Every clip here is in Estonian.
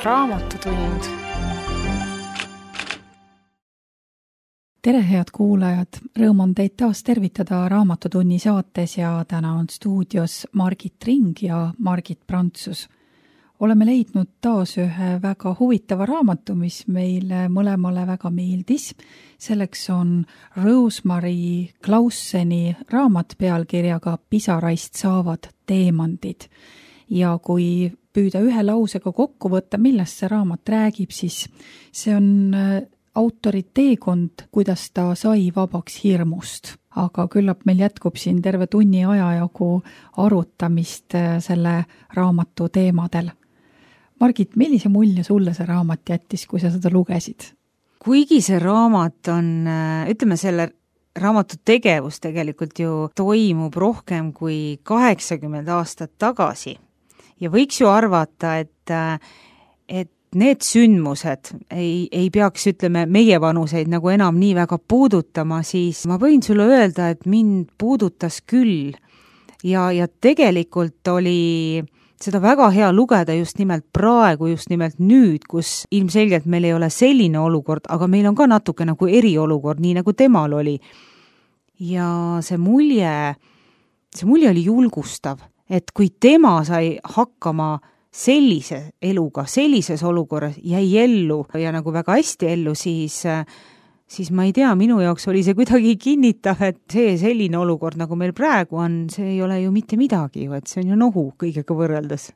Raamatutund. Tere, head kuulajad! Rõõm on teid taas tervitada Raamatutunni saates ja täna on stuudios Margit Ring ja Margit Prantsus. Oleme leidnud taas ühe väga huvitava raamatu, mis meile mõlemale väga meeldis. Selleks on Rosemary Clauseni raamat pealkirjaga Pisaraist saavad teemandid. Ja kui püüda ühe lausega kokku võtta, millest see raamat räägib, siis see on autori teekond, kuidas ta sai vabaks hirmust. Aga küllap meil jätkub siin terve tunni ajajagu arutamist selle raamatu teemadel. Margit, millise mulje sulle see raamat jättis, kui sa seda lugesid? Kuigi see raamat on, ütleme selle raamatu tegevus tegelikult ju toimub rohkem kui 80 aastat tagasi ja võiks ju arvata, et need sündmused ei peaks, ütleme, meie vanuseid nagu enam nii väga puudutama, siis ma võin sulle öelda, et mind puudutas küll ja tegelikult oli seda väga hea lugeda just nimelt praegu, just nimelt nüüd, kus ilmselgelt meil ei ole selline olukord, aga meil on ka natuke nagu eriolukord, nii nagu temal oli. Ja see mulje oli julgustav, et kui tema sai hakkama sellise eluga, sellises olukorras, jäi ellu ja nagu väga hästi ellu, siis ma ei tea, minu jaoks oli see kuidagi kinnitav, et see selline olukord, nagu meil praegu on, see ei ole ju mitte midagi, et see on ju nohu kõigega võrreldes.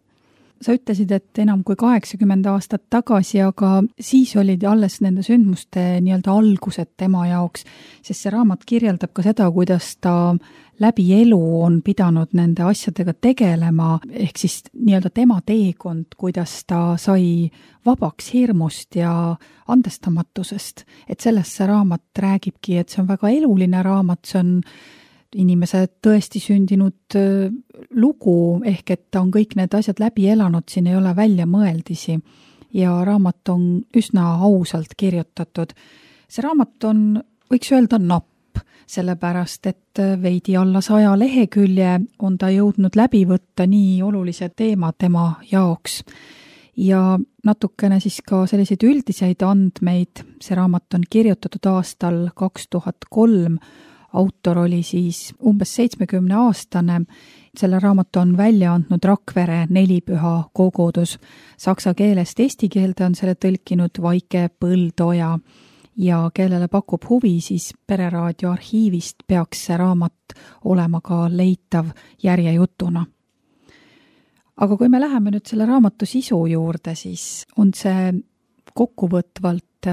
Sa ütlesid, et enam kui 80 aastat tagasi, aga siis olid alles nende sündmuste nii-öelda algused tema jaoks, sest see raamat kirjeldab ka seda, kuidas ta läbi elu on pidanud nende asjadega tegelema, ehk siis nii-öelda tema teekond, kuidas ta sai vabaks hirmust ja andestamatusest. Et sellest see raamat räägibki, et see on väga eluline raamat, see on inimese tõesti sündinud lugu, ehk et ta on kõik need asjad läbi elanud, siin ei ole välja mõeldisi ja raamat on üsna ausalt kirjutatud. See raamat on, võiks öelda, napp, sellepärast et veidi alla 100 lehekülje on ta jõudnud läbi võtta nii olulised teemad tema jaoks. Ja natukene siis ka selliseid üldiseid andmeid, see raamat on kirjutatud aastal 2003, autor oli siis umbes 70-aastane, selle raamatu on välja andnud Rakvere Nelipüha kogudus. Saksa keelest eesti keelde on selle tõlkinud Vaike Põldoja ja kellele pakub huvi, siis Pereraadio arhiivist peaks see raamat olema ka leitav järjejutuna. Aga kui me läheme nüüd selle raamatu sisu juurde, siis on see kokkuvõtvalt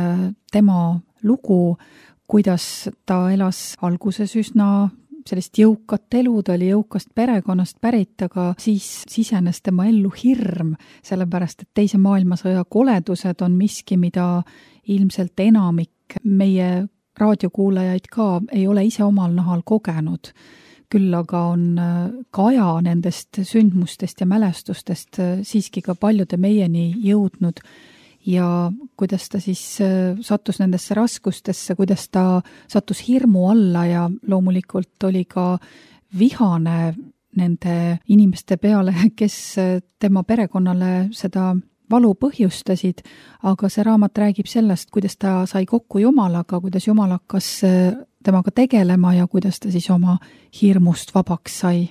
tema lugu, kuidas ta elas alguses üsna sellist jõukat elu, ta oli jõukast perekonnast pärit, aga siis sisenes tema ellu hirm, sellepärast et teise maailmasõja koledused on miski, mida ilmselt enamik meie raadiokuulajaid ka ei ole ise omal nahal kogenud. Küll aga on kaja nendest sündmustest ja mälestustest siiski ka paljude meieni jõudnud. Ja kuidas ta siis sattus nendesse raskustesse, kuidas ta sattus hirmu alla ja loomulikult oli ka vihane nende inimeste peale, kes tema perekonnale seda valu põhjustasid, aga see raamat räägib sellest, kuidas ta sai kokku Jumalaga, kuidas Jumal hakkas temaga tegelema ja kuidas ta siis oma hirmust vabaks sai.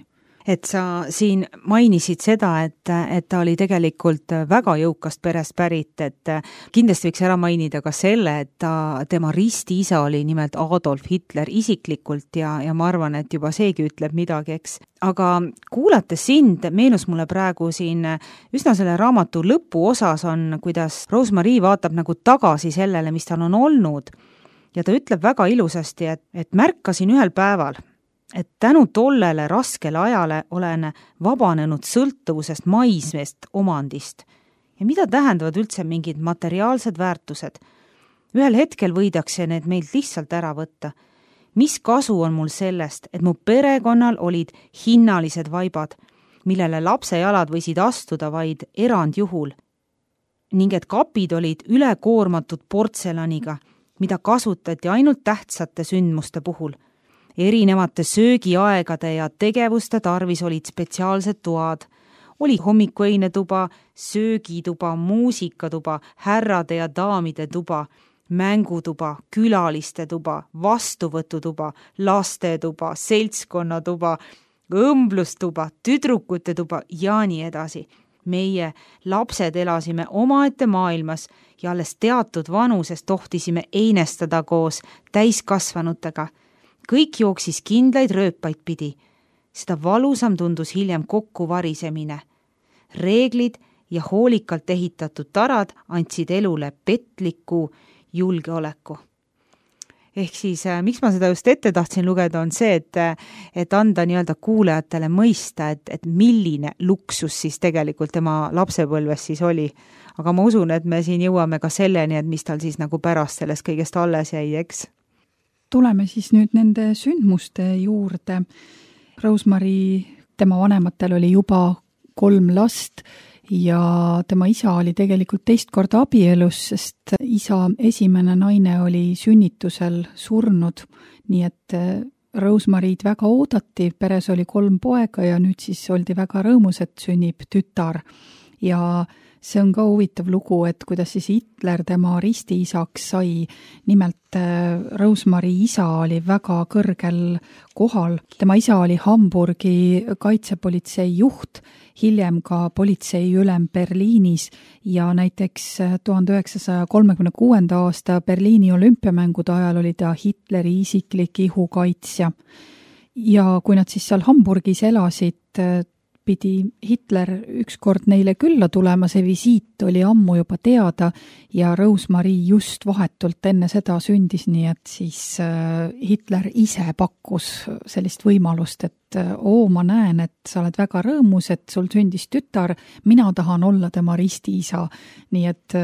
Et sa siin mainisid seda, et ta oli tegelikult väga jõukast perest pärit, et kindlasti võiks ära mainida ka selle, et tema ristiisa oli nimelt Adolf Hitler isiklikult ja ma arvan, et juba seegi ütleb midagi, eks. Aga kuulates sind, meenus mulle praegu siin üsna selle raamatu lõpuosas on, kuidas Rosemary vaatab nagu tagasi sellele, mis tal on olnud ja ta ütleb väga ilusasti, et märkasin ühel päeval, et tänu tollele raskele ajale olen vabanenud sõltuvusest maismeest omandist. Ja mida tähendavad üldse mingid materiaalsed väärtused? Ühel hetkel võidakse need meilt lihtsalt ära võtta. Mis kasu on mul sellest, et mu perekonnal olid hinnalised vaibad, millele lapse jalad võisid astuda vaid erandjuhul, ning et kapid olid ülekoormatud portselaniga, mida kasutati ainult tähtsate sündmuste puhul. Erinevate söögiaegade ja tegevuste tarvis olid spetsiaalsed toad. Oli hommikuöine tuba, söögituba, muusikatuba, härrade ja daamide tuba, mängutuba, külaliste tuba, vastuvõtutuba, lastetuba, seltskonnatuba, õmblustuba, tüdrukute tuba ja nii edasi. Meie lapsed elasime omaette maailmas ja alles teatud vanuses tohtisime einestada koos täiskasvanutega. Kõik jooksis kindlaid rööpaid pidi. Seda valusam tundus hiljem kokkuvarisemine. Reeglid ja hoolikalt ehitatud tarad andsid elule petliku julgeoleku. Ehk siis, miks ma seda just ette tahtsin lugeda, on see, et anda nii-öelda kuulajatele mõista, et milline luksus siis tegelikult tema lapsepõlves siis oli. Aga ma usun, et me siin jõuame ka selleni, et mis tal siis nagu pärast sellest kõigest alles jäi, eks? Tuleme siis nüüd nende sündmuste juurde. Rosemary, tema vanematel oli juba 3 last ja tema isa oli tegelikult teist korda abielus, sest isa esimene naine oli sünnitusel surnud, nii et Rosemary'd väga oodati, peres oli 3 poega ja nüüd siis oldi väga rõõmus, et sünnib tütar. Ja see on ka huvitav lugu, et kuidas siis Hitler tema ristiisaks sai. Nimelt Rosemary isa oli väga kõrgel kohal. Tema isa oli Hamburgi kaitsepolitsei juht, hiljem ka politseiülem Berliinis ja näiteks 1936. aasta Berliini olümpiamängude ajal oli ta Hitleri isiklik ihukaitsja. Ja kui nad siis seal Hamburgis elasid, pidi Hitler ükskord neile külla tulema, see visiit oli ammu juba teada ja Rosemary just vahetult enne seda sündis, nii et siis Hitler ise pakkus sellist võimalust, et ma näen, et sa oled väga rõõmus, et sul sündis tütar, mina tahan olla tema ristiisa. Nii et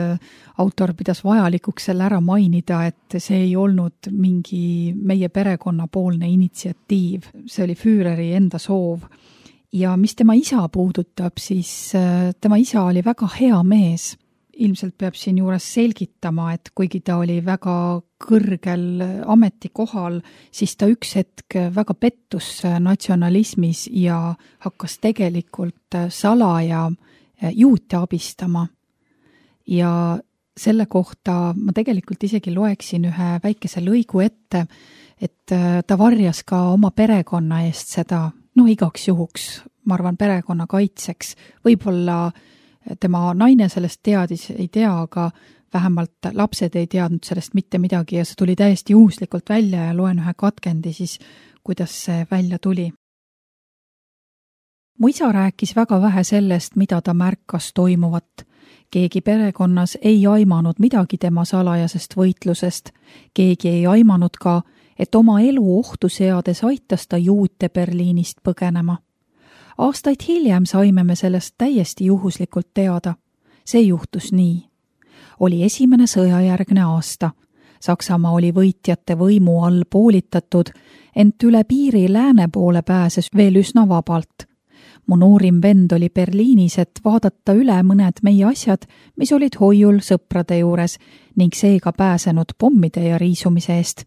autor pidas vajalikuks selle ära mainida, et see ei olnud mingi meie perekonnapoolne initsiatiiv, see oli Führeri enda soov. Ja mis tema isa puudutab, siis tema isa oli väga hea mees. Ilmselt peab siin juures selgitama, et kuigi ta oli väga kõrgel ametikohal, siis ta üks hetk väga pettus natsionalismis ja hakkas tegelikult salaja juute abistama. Ja selle kohta ma tegelikult isegi loeksin ühe väikese lõigu ette, et ta varjas ka oma perekonna eest seda, igaks juhuks, ma arvan, perekonna kaitseks. Võib-olla tema naine sellest teadis, ei tea, aga vähemalt lapsed ei teadnud sellest mitte midagi ja see tuli täiesti juhuslikult välja ja loen ühe katkendi siis, kuidas see välja tuli. Mu isa rääkis väga vähe sellest, mida ta märkas toimuvat. Keegi perekonnas ei aimanud midagi tema salajasest võitlusest. Keegi ei aimanud ka, et oma elu ohtu seades aitas ta juute Berliinist põgenema. Aastaid hiljem saime me sellest täiesti juhuslikult teada. See juhtus nii. Oli esimene sõjajärgne aasta. Saksamaa oli võitjate võimu all poolitatud, ent üle piiri lääne poole pääses veel üsna vabalt. Mu noorim vend oli Berliinis, et vaadata üle mõned meie asjad, mis olid hoiul sõprade juures ning seega pääsenud pommide ja riisumise eest.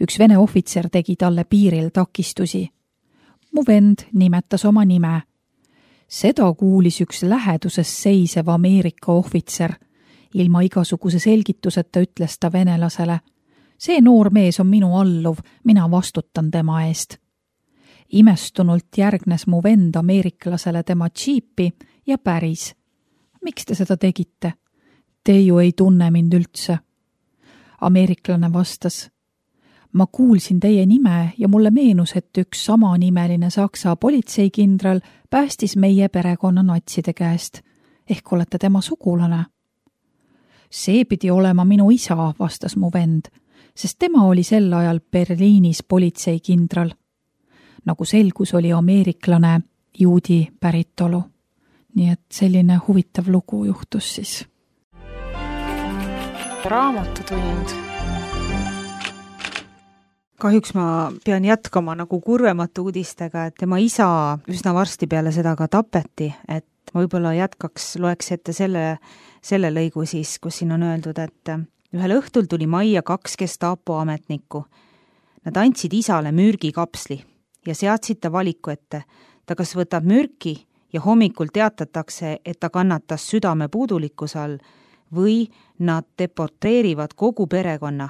Üks vene ohvitser tegi talle piiril takistusi. Mu vend nimetas oma nime. Seda kuulis üks läheduses seisev Ameerika ohvitser. Ilma igasuguse selgituseta ütles ta venelasele. See noor mees on minu alluv, mina vastutan tema eest. Imestunult järgnes mu vend ameeriklasele tema džiipi ja päris. Miks te seda tegite? Te ju ei tunne mind üldse. Ameeriklane vastas. Ma kuulsin teie nime ja mulle meenus, et üks samanimeline Saksa politseikindral päästis meie perekonna natside käest. Ehk olete tema sugulane? See pidi olema minu isa, vastas mu vend, sest tema oli sel ajal Berliinis politseikindral. Nagu selgus, oli ameeriklane juudi päritolu. Nii et selline huvitav lugu juhtus siis. Raamatutund. Kahjuks ma pean jätkama nagu kurvemate uudistega, et tema isa üsna varsti peale seda ka tapeti, et ma võib-olla loeks ette selle lõigu siis, kus siin on öeldud, et ühel õhtul tuli majja 2 Gestapo ametnikku. Nad andsid isale mürgikapsli ja seadsid ta valiku ette. Ta kas võtab mürki ja hommikul teatatakse, et ta kannatas südame puudulikkuse all või nad deporteerivad kogu perekonna.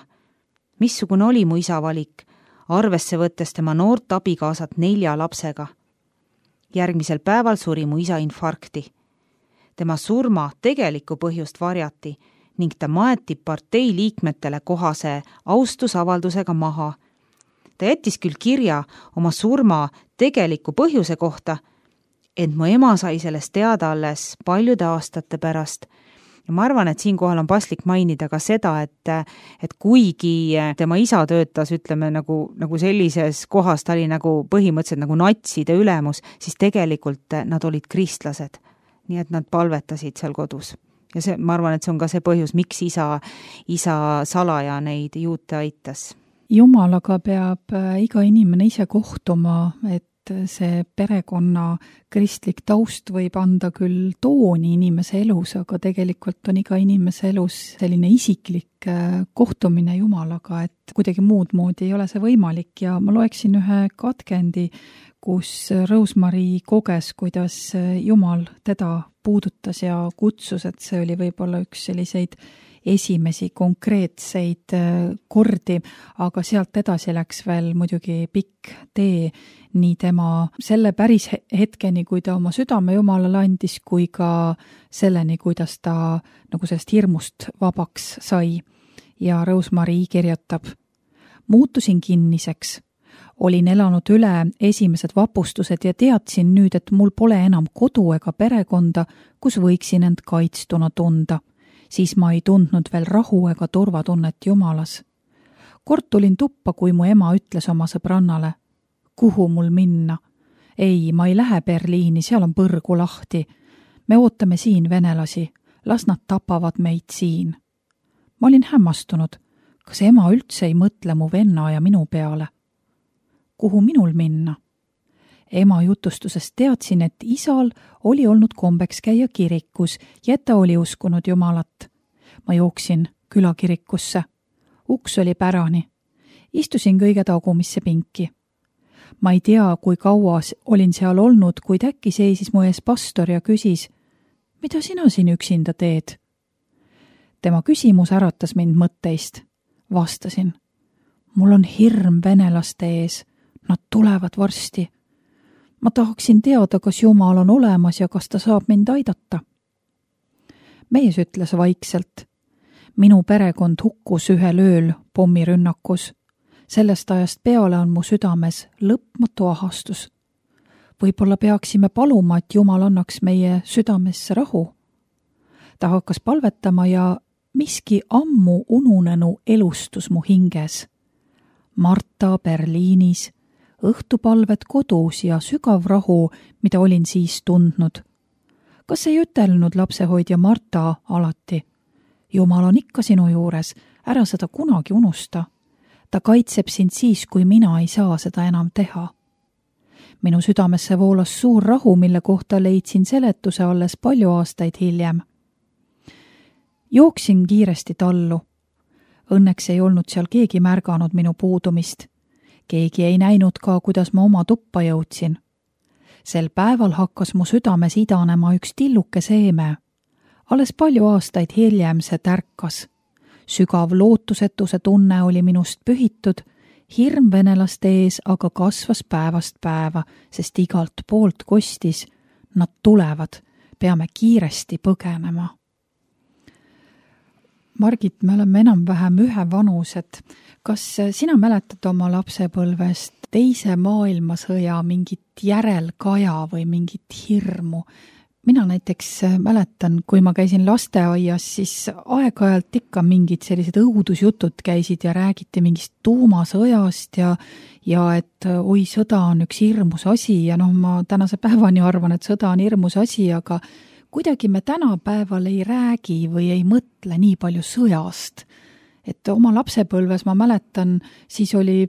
Missugune oli mu isa valik, arvesse võttes tema noort abikaasat 4 lapsega? Järgmisel päeval suri mu isa infarkti. Tema surma tegelikku põhjust varjati ning ta maeti partei liikmetele kohase austusavaldusega maha. Ta jättis küll kirja oma surma tegeliku põhjuse kohta, ent mu ema sai sellest teada alles paljude aastate pärast. Ja ma arvan, et siinkohal on paslik mainida ka seda, et kuigi tema isa töötas, ütleme, nagu sellises kohas, ta oli nagu põhimõtteliselt nagu natside ülemus, siis tegelikult nad olid kristlased. Nii et nad palvetasid seal kodus. Ja ma arvan, et see on ka see põhjus, miks isa salaja neid juute aitas. Jumalaga peab iga inimene ise kohtuma, et see perekonna kristlik taust võib anda küll tooni inimese elus, aga tegelikult on iga inimese elus selline isiklik kohtumine Jumalaga, et kuidagi muud moodi ei ole see võimalik ja ma loeksin ühe katkendi, kus Rosemary koges, kuidas Jumal teda puudutas ja kutsus, et see oli võib-olla üks selliseid esimesi konkreetseid kordi, aga sealt edasi läks veel muidugi pikk tee nii tema selle päris hetkeni, kui ta oma südame Jumalale andis, kui ka selleni, kuidas ta nagu sellest hirmust vabaks sai. Ja Rosemary kirjutab: muutusin kinniseks. Olin elanud üle esimesed vapustused ja teadsin nüüd, et mul pole enam kodu ega perekonda, kus võiksin end kaitstuna tunda. Siis ma ei tundnud veel rahu ega turvatunnet Jumalas. Kord tulin tuppa, kui mu ema ütles oma sõbrannale: kuhu mul minna? Ei, ma ei lähe Berliini, seal on põrgu lahti. Me ootame siin venelasi, las nad tapavad meid siin. Ma olin hämmastunud, kas ema üldse ei mõtle mu venna ja minu peale. Kuhu minul minna? Ema jutustusest teadsin, et isal oli olnud kombeks käia kirikus ja et ta oli uskunud Jumalat. Ma jooksin külakirikusse. Uks oli pärani. Istusin kõige tagumisse pinki. Ma ei tea, kui kaua olin seal olnud, kuid äkki seisis mu ees pastor ja küsis: mida sina siin üksinda teed? Tema küsimus äratas mind mõtteist. Vastasin: mul on hirm venelaste ees. Nad tulevad varsti. Ma tahaksin teada, kas Jumal on olemas ja kas ta saab mind aidata. Mees ütles vaikselt: minu perekond hukkus ühel ööl pommirünnakus. Sellest ajast peale on mu südames lõpmatu ahastus. Võib-olla peaksime paluma, et Jumal annaks meie südamesse rahu. Ta hakkas palvetama ja miski ammu ununenu elustus mu hinges. Marta Berliinis, õhtupalved kodus ja sügav rahu, mida olin siis tundnud. Kas ei ütelnud lapsehoidja Marta alati: Jumal on ikka sinu juures, ära seda kunagi unusta. Ta kaitseb sind siis, kui mina ei saa seda enam teha. Minu südamesse voolas suur rahu, mille kohta leidsin seletuse alles palju aastaid hiljem. Jooksin kiiresti tallu. Õnneks ei olnud seal keegi märganud minu puudumist. Keegi ei näinud ka, kuidas ma oma tuppa jõudsin. Sel päeval hakkas mu südames idanema üks tilluke seeme. Alles palju aastaid hiljem see tärkas. Sügav lootusetuse tunne oli minust pühitud, hirm venelaste ees aga kasvas päevast päeva, sest igalt poolt kostis: nad tulevad, peame kiiresti põgenema. Margit, me oleme enam-vähem ühevanused. Kas sina mäletad oma lapsepõlvest teise maailmasõja mingit järelkaja või mingit hirmu? Mina näiteks mäletan, kui ma käisin lasteaias, siis aeg-ajalt ikka mingid sellised õudusjutud käisid ja räägiti mingist tuumasõjast ja et oi, sõda on üks hirmus asi ja ma tänase päevani arvan, et sõda on hirmus asi, aga kuidagi me tänapäeval ei räägi või ei mõtle nii palju sõjast. Et oma lapsepõlves ma mäletan, siis oli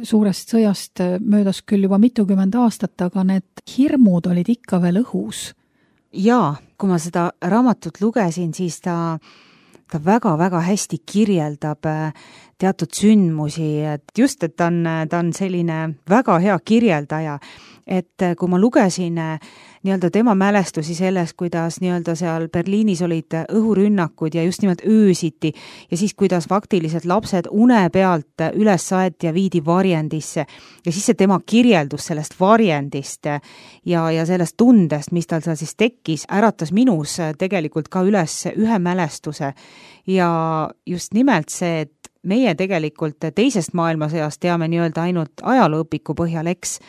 suurest sõjast möödas küll juba mitukümmend aastat, aga need hirmud olid ikka veel õhus. Jaa, kui ma seda raamatut lugesin, siis ta väga-väga hästi kirjeldab teatud sündmusi, et just, et ta on selline väga hea kirjeldaja et kui ma lugesin nii-öelda tema mälestusi sellest, kuidas nii-öelda seal Berliinis olid õhurünnakud ja just nimelt öösiti ja siis, kuidas faktiliselt lapsed une pealt üles saeti ja viidi varjendisse ja siis see tema kirjeldus sellest varjendist ja sellest tundest, mis tal seal siis tekkis, äratas minus tegelikult ka üles ühe mälestuse ja just nimelt see, et meie tegelikult teisest maailmasõjast teame nii-öelda ainult ajalooõpiku põhjal, eks,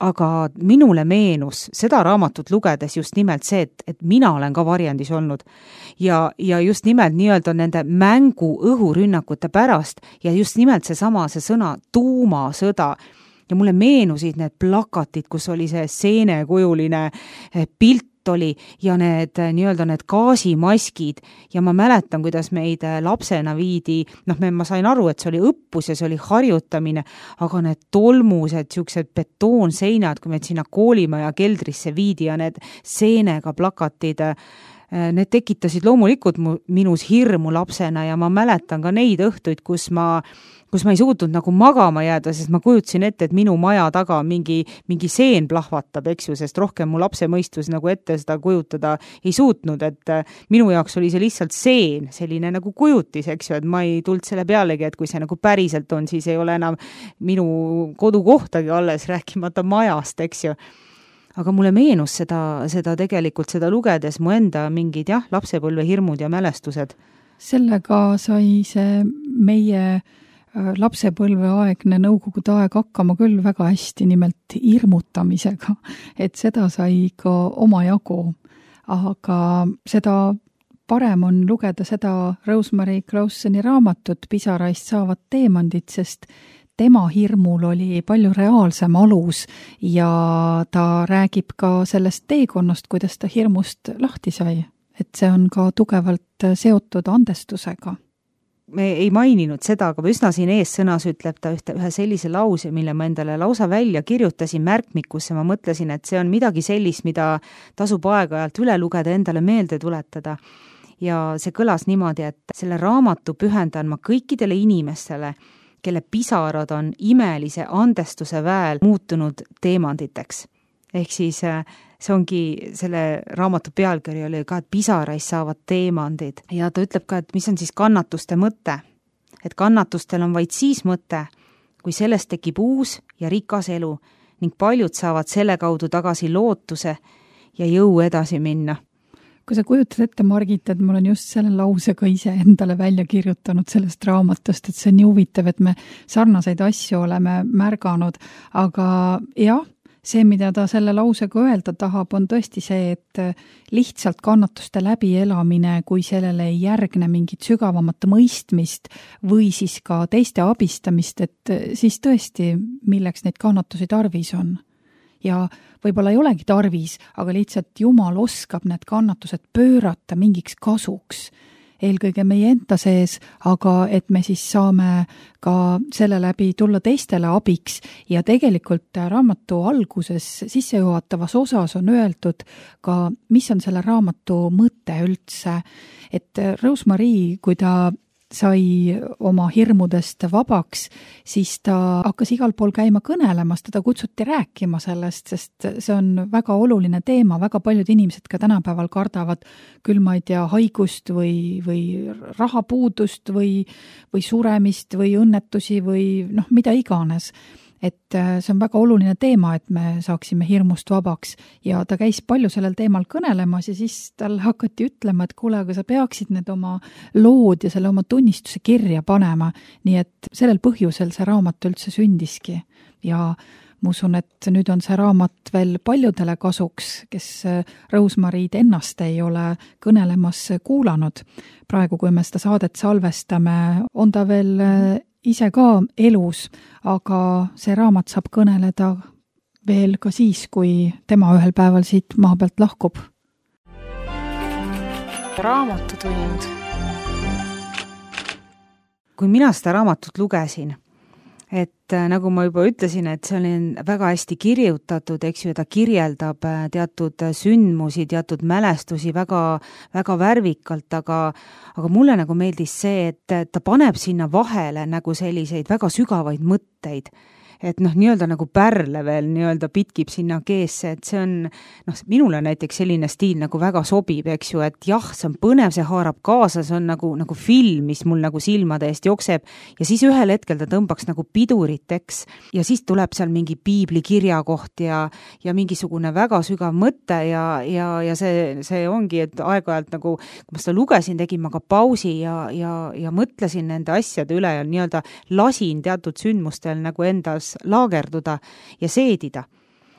aga minule meenus seda raamatut lugedes just nimelt see, et mina olen ka varjendis olnud ja just nimelt nii-öelda nende mängu õhurünnakute pärast ja just nimelt see sõna tuumasõda ja mulle meenusid need plakatid, kus oli see seenekujuline pilt oli ja need gaasimaskid ja ma mäletan, kuidas meid lapsena viidi, ma sain aru, et see oli õppus ja see oli harjutamine, aga need tolmused, siuksed betoonseinad, kui meid sinna koolimaja keldrisse viidi ja need seenega plakatid, need tekitasid loomulikult minus hirmu lapsena ja ma mäletan ka neid õhtuid, kus ma ei suutnud nagu magama jääda, sest ma kujutasin ette, et minu maja taga mingi seen plahvatab, eks ju, sest rohkem mu lapse mõistus nagu ette seda kujutada ei suutnud, et minu jaoks oli see lihtsalt seen, selline nagu kujutis, eks ju, et ma ei tulnud selle pealegi, et kui see nagu päriselt on, siis ei ole enam minu kodukohtagi alles, rääkimata majast, eks ju. Aga mulle meenus seda tegelikult seda lugedes mu enda mingid lapsepõlve hirmud ja mälestused. Sellega sai see meie lapsepõlveaegne nõukogude aeg hakkama küll väga hästi, nimelt hirmutamisega, et seda sai ka omajagu, aga seda parem on lugeda seda Rosemary Clauseni raamatut Pisaraist saavad teemandid, sest tema hirmul oli palju reaalsem alus ja ta räägib ka sellest teekonnast, kuidas ta hirmust lahti sai, et see on ka tugevalt seotud andestusega. Me ei maininud seda, aga üsna siin ees sõnas ütleb ta ühe sellise lause, mille ma endale lausa välja kirjutasin märkmikusse, ma mõtlesin, et see on midagi sellist, mida tasub aeg-ajalt üle lugeda, endale meelde tuletada. Ja see kõlas niimoodi, et selle raamatu pühendan ma kõikidele inimestele, kelle pisarad on imelise andestuse väel muutunud teemanditeks. Ehk siis see ongi, selle raamatu pealkiri oli ka, et pisarais saavad teemandid. Ja ta ütleb ka, et mis on siis kannatuste mõte. Et kannatustel on vaid siis mõte, kui sellest tekib uus ja rikas elu ning paljud saavad selle kaudu tagasi lootuse ja jõu edasi minna. Kui sa kujutad ette, Margit, et mul on just selle lause ka ise endale välja kirjutanud sellest raamatust, et see on nii huvitav, et me sarnaseid asju oleme märganud, aga jah, see, mida ta selle lausega öelda tahab, on tõesti see, et lihtsalt kannatuste läbielamine, kui sellele ei järgne mingit sügavamat mõistmist või siis ka teiste abistamist, et siis tõesti, milleks neid kannatusi tarvis on. Ja võib-olla ei olegi tarvis, aga lihtsalt Jumal oskab need kannatused pöörata mingiks kasuks. Eelkõige meie enda sees, aga et me siis saame ka selle läbi tulla teistele abiks ja tegelikult raamatu alguses sissejuhatavas osas on öeldud ka, mis on selle raamatu mõte üldse, et Rosemary, kui ta sai oma hirmudest vabaks, siis ta hakkas igal pool käima kõnelemas, teda kutsuti rääkima sellest, sest see on väga oluline teema, väga paljud inimesed ka tänapäeval kardavad küll, ma ei tea, haigust või rahapuudust või suremist või õnnetusi või mida iganes. Et see on väga oluline teema, et me saaksime hirmust vabaks ja ta käis palju sellel teemal kõnelemas ja siis tal hakati ütlema, et kuule, aga sa peaksid need oma lood ja selle oma tunnistuse kirja panema, nii et sellel põhjusel see raamat üldse sündiski ja ma usun, et nüüd on see raamat veel paljudele kasuks, kes Rosemary'd ennast ei ole kõnelemas kuulanud. Praegu, kui me seda saadet salvestame, on ta veel ise ka elus, aga see raamat saab kõneleda veel ka siis, kui tema ühel päeval siit maa pealt lahkub. Raamatutund. Kui mina seda raamatut lugesin, et nagu ma juba ütlesin, et see oli väga hästi kirjutatud, eks ju, ta kirjeldab teatud sündmusi, teatud mälestusi väga, väga värvikalt, aga mulle nagu meeldis see, et ta paneb sinna vahele nagu selliseid väga sügavaid mõtteid, et nii-öelda nagu pärle veel nii-öelda pitkib sinna keesse, et see on, minule näiteks selline stiil nagu väga sobib, eks ju, et jah, see on põnev, see haarab kaasa, see on nagu film, mis mul nagu silmade eest jookseb ja siis ühel hetkel ta tõmbaks nagu pidurit, eks, ja siis tuleb seal mingi piibli kirjakoht ja mingisugune väga sügav mõte ja see ongi, et aeg-ajalt nagu, kui ma seda lugesin, tegin ma ka pausi ja mõtlesin nende asjade üle ja nii-öelda lasin teatud sündmustel nagu endas laagerduda ja seedida.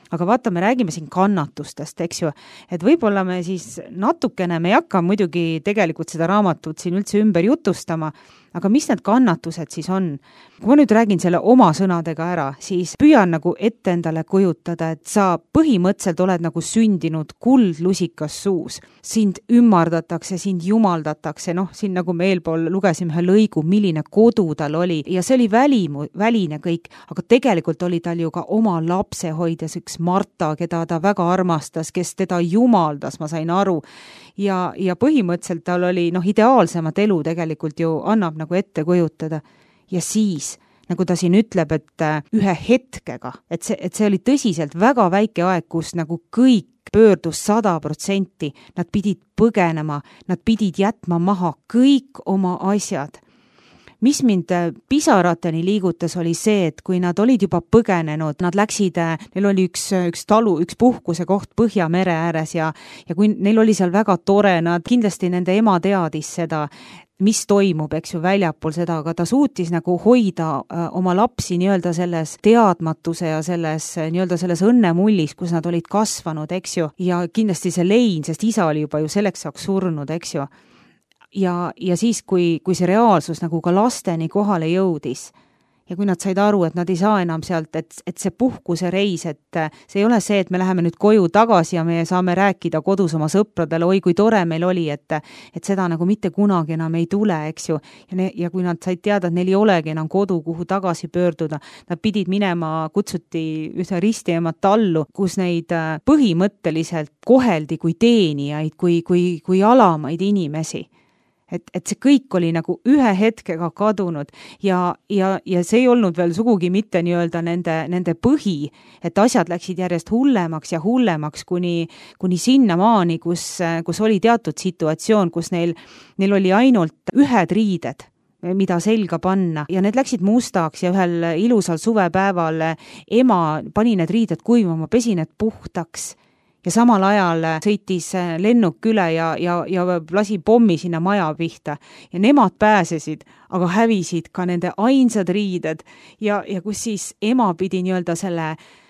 Aga vaata, me räägime siin kannatustest, eks ju, et võib-olla me siis natukene, me ei hakka muidugi tegelikult seda raamatut siin üldse ümber jutustama, aga mis need kannatused siis on? Kui ma nüüd räägin selle oma sõnadega ära, siis püüan nagu ette endale kujutada, et sa põhimõtteliselt oled nagu sündinud kuldlusikas suus. Sind ümmardatakse, sind jumaldatakse, siin nagu me eelpool lugesime ühe lõigu, milline kodu tal oli ja see oli väline kõik, aga tegelikult oli tal ju ka oma lapsehoidjas üks Marta, keda ta väga armastas, kes teda jumaldas, ma sain aru. Ja põhimõtteliselt tal oli ideaalsemat elu tegelikult ju annab nagu ette kujutada. Ja siis, nagu ta siin ütleb, et ühe hetkega, et see oli tõsiselt väga väike aeg, kus nagu kõik pöördus 100%, nad pidid põgenema, nad pidid jätma maha kõik oma asjad. Mis mind pisarateni liigutas oli see, et kui nad olid juba põgenenud, nad läksid, neil oli üks talu, üks puhkuse koht Põhjamere ääres ja kui neil oli seal väga tore, nad kindlasti nende ema teadis seda, mis toimub, eks ju, väljapool seda, aga ta suutis nagu hoida oma lapsi nii-öelda selles teadmatuse ja selles õnnemullis, kus nad olid kasvanud, eks ju, ja kindlasti see lein, sest isa oli juba ju selleks saaks surnud, eks ju. Ja siis, kui see reaalsus nagu ka lasteni kohale jõudis ja kui nad said aru, et nad ei saa enam sealt, et see puhkuse reis, et see ei ole see, et me läheme nüüd koju tagasi ja me saame rääkida kodus oma sõpradele, oi kui tore meil oli, et seda nagu mitte kunagi enam ei tule, eks ju. Ja kui nad said teada, et neil ei olegi enam kodu, kuhu tagasi pöörduda, nad pidid minema, kutsuti ühte ristiemat tallu, kus neid põhimõtteliselt koheldi kui teenijaid, kui alamaid inimesi. Et see kõik oli nagu ühe hetkega kadunud ja see ei olnud veel sugugi mitte nii-öelda nende põhi, et asjad läksid järjest hullemaks ja hullemaks kuni sinnamaani, kus oli teatud situatsioon, kus neil oli ainult ühed riided, mida selga panna ja need läksid mustaks ja ühel ilusal suvepäeval ema pani need riided kuivama, pesi need puhtaks. Ja samal ajal sõitis lennuk üle ja lasi pommi sinna maja pihta. Ja nemad pääsesid, aga hävisid ka nende ainsad riided. Ja kus siis ema pidi nii-öelda selle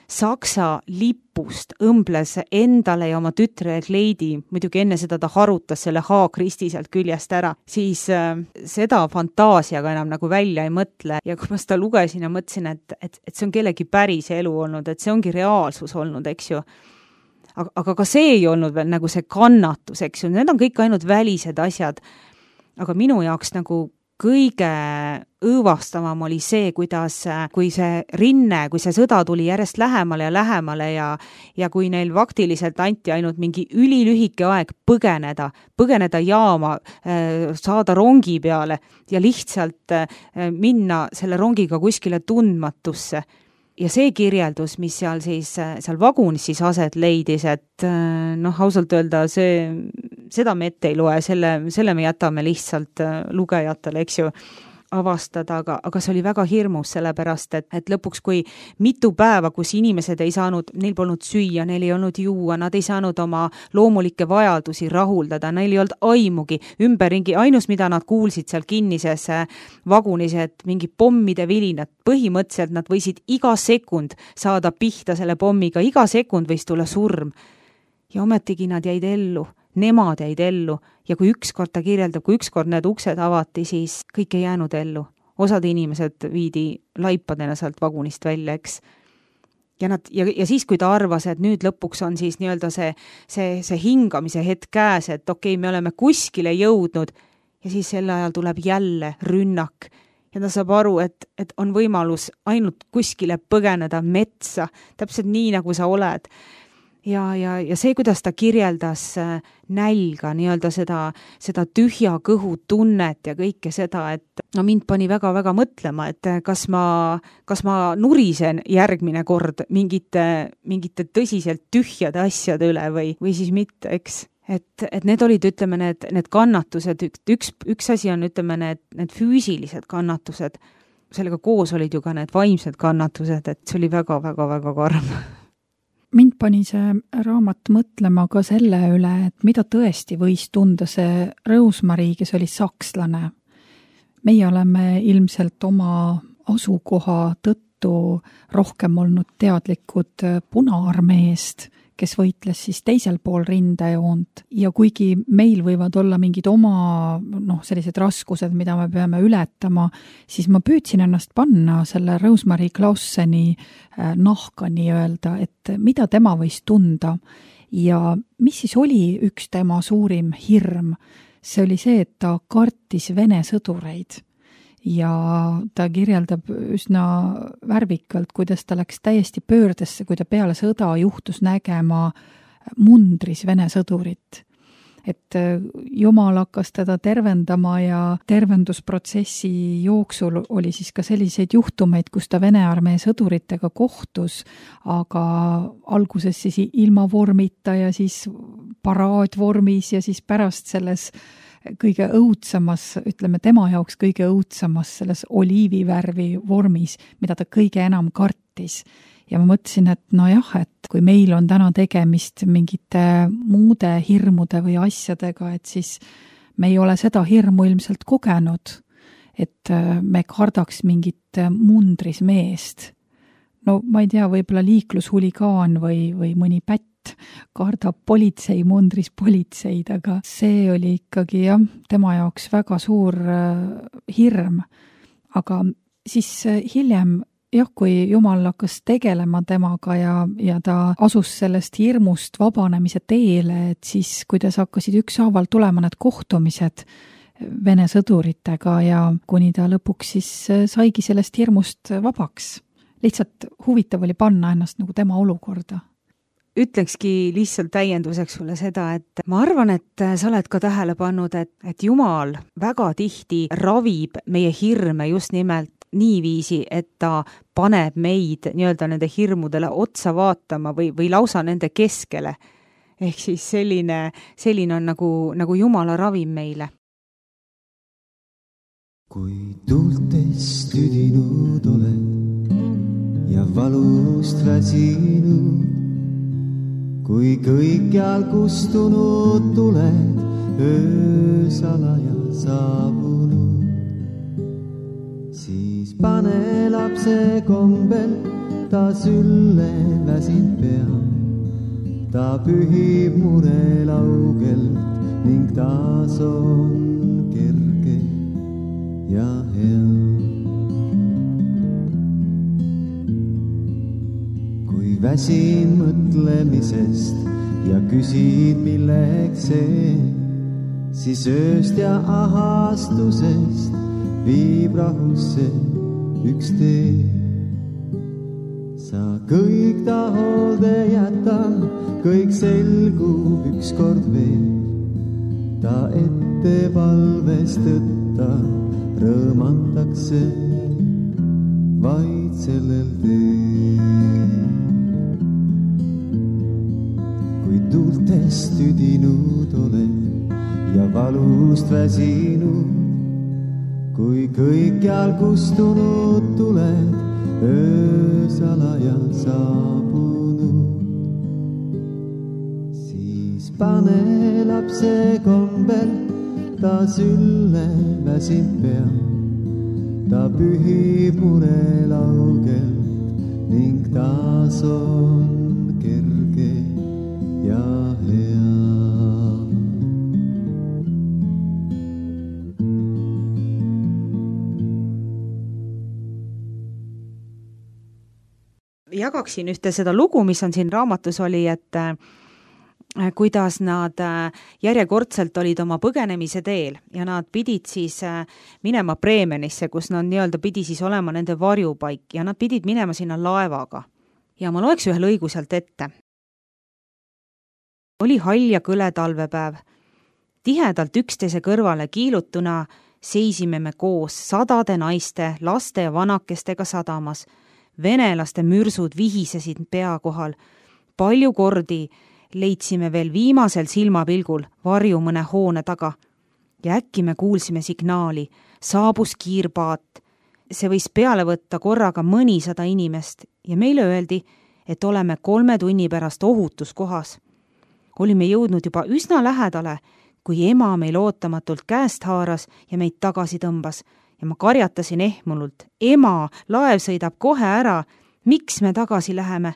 Saksa lipust õmbles endale ja oma tütrele kleidi, muidugi enne seda ta harutas selle haakristi sealt küljest ära, siis seda fantaasiaga enam nagu välja ei mõtle. Ja kui ma seda lugesin ja mõtlesin, et see on kellegi päris elu olnud, et see ongi reaalsus olnud, eks ju. Aga ka see ei olnud veel nagu see kannatus, eks ju, need on kõik ainult välised asjad. Aga minu jaoks nagu kõige õõvastavam oli see, kuidas, kui see rinne, kui see sõda tuli järjest lähemale ja kui neil faktiliselt anti ainult mingi ülilühike aeg põgeneda jaama, saada rongi peale ja lihtsalt minna selle rongiga kuskile tundmatusse. Ja see kirjeldus, mis seal vagunis siis aset leidis, et ausalt öelda, seda me ette ei loe, selle me jätame lihtsalt lugejatele, eks ju, avastada, aga see oli väga hirmus, sellepärast, et lõpuks, kui mitu päeva, kus inimesed ei saanud, neil polnud süüa, neil ei olnud juua, nad ei saanud oma loomulikke vajadusi rahuldada, neil ei olnud aimugi ümberringi, ainus, mida nad kuulsid seal kinnises vagunis, et mingi pommide vilinad, põhimõtteliselt nad võisid iga sekund saada pihta selle pommiga, iga sekund võis tulla surm. Ja ometigi nad jäid ellu. Nemad jäid ellu ja kui ükskord ta kirjeldab, kui ükskord need uksed avati, siis kõik ei jäänud ellu. Osad inimesed viidi laipadena sealt vagunist välja, eks. Ja siis, kui ta arvas, et nüüd lõpuks on siis nii-öelda see hingamise hetk käes, et okei, me oleme kuskile jõudnud ja siis sel ajal tuleb jälle rünnak. Ja ta saab aru, et on võimalus ainult kuskile põgeneda metsa, täpselt nii, nagu sa oled. ja see, kuidas ta kirjeldas nälga, nii-öelda seda tühja kõhu tunnet ja kõike seda, et no mind pani väga-väga mõtlema, et kas ma nurisen järgmine kord mingite tõsiselt tühjade asjade üle või siis mitte, eks. Et need olid, ütleme, need kannatused, üks asi on, ütleme, need füüsilised kannatused, sellega koos olid ju ka need vaimsed kannatused, et see oli väga-väga-väga karm. Mind pani see raamat mõtlema ka selle üle, et mida tõesti võis tunda see Rose-Marie, kes oli sakslane. Meie oleme ilmselt oma asukoha tõttu rohkem olnud teadlikud Punaarmeest, kes võitles siis teisel pool rindejoont ja kuigi meil võivad olla mingid oma sellised raskused, mida me peame ületama, siis ma püüdsin ennast panna selle Rose-Marie Clauseni nahka nii-öelda, et mida tema võis tunda ja mis siis oli üks tema suurim hirm. See oli see, et ta kartis Vene sõdureid. Ja ta kirjeldab üsna värvikalt, kuidas ta läks täiesti pöördesse, kui ta peale sõda juhtus nägema mundris Vene sõdurit. Et Jumal hakkas teda tervendama ja tervendusprotsessi jooksul oli siis ka selliseid juhtumeid, kus ta Vene armee sõduritega kohtus, aga alguses siis ilma vormita ja siis paraadvormis ja siis pärast selles kõige õudsamas, ütleme tema jaoks kõige õudsamas selles oliivivärvi vormis, mida ta kõige enam kartis. Ja ma mõtlesin, et nojah, et kui meil on täna tegemist mingite muude hirmude või asjadega, et siis me ei ole seda hirmu ilmselt kogenud, et me kardaks mingit mundris meest. No ma ei tea, võib-olla liiklushuligaan või mõni pätt kardab politsei mundris politseid, aga see oli ikkagi tema jaoks väga suur hirm. Aga siis hiljem, kui Jumal hakkas tegelema temaga ja ta asus sellest hirmust vabanemise teele, et siis kuidas hakkasid ükshaaval tulema need kohtumised Vene sõduritega ja kuni ta lõpuks siis saigi sellest hirmust vabaks. Lihtsalt huvitav oli panna ennast nagu tema olukorda. Ütlekski lihtsalt täienduseks sulle seda, et ma arvan, et sa oled ka tähele pannud, et Jumal väga tihti ravib meie hirme just nimelt niiviisi, et ta paneb meid nii-öelda nende hirmudele otsa vaatama või lausa nende keskele. Ehk siis selline on nagu Jumala ravim meile. Kui tuultest tüdinud oled ja valust väsinud, kui kõikjal kustunud tuled, öösalaja saabunud, siis pane lapse kombel ta sülle väsin pea. Ta pühib mure laugelt ning taas on kerge ja hea. Väsin mõtlemisest ja küsid milleks see, siis ööst ja ahastusest viib rahusse üks tee. Sa kõik ta hoolde jäta, kõik selgub ükskord veel. Ta ette palvest tõtta rõõmatakse vaid sellel teel. Tuultest tüdinud oled ja valust väsinud, kui kõikjal kustunud tuled, öösalaja saabunud, siis pane lapse kombel ta sülle väsin pea. Ta pühib mure laugelt ning taas on kerge ja hea. Jagaksin ühte seda lugu, mis on siin raamatus oli, et kuidas nad järjekordselt olid oma põgenemise teel ja nad pidid siis minema Bremenisse, kus nad nii-öelda pidi siis olema nende varjupaik ja nad pidid minema sinna laevaga. Ja ma loeks ühe lõigu sealt ette. Oli hall ja kõle talvepäev. Tihedalt üksteise kõrvale kiilutuna seisime me koos 100 naiste, laste ja vanakestega sadamas. Venelaste mürsud vihisesid pea kohal. Palju kordi leidsime veel viimasel silmapilgul varju mõne hoone taga. Ja äkki me kuulsime signaali. Saabus kiirpaat. See võis peale võtta korraga mõnisada inimest ja meile öeldi, et oleme 3 tunni pärast ohutuskohas. Olime jõudnud juba üsna lähedale, kui ema meil ootamatult käest haaras ja meid tagasi tõmbas. Ja ma karjatasin ehmunult. Ema, laev sõidab kohe ära. Miks me tagasi läheme?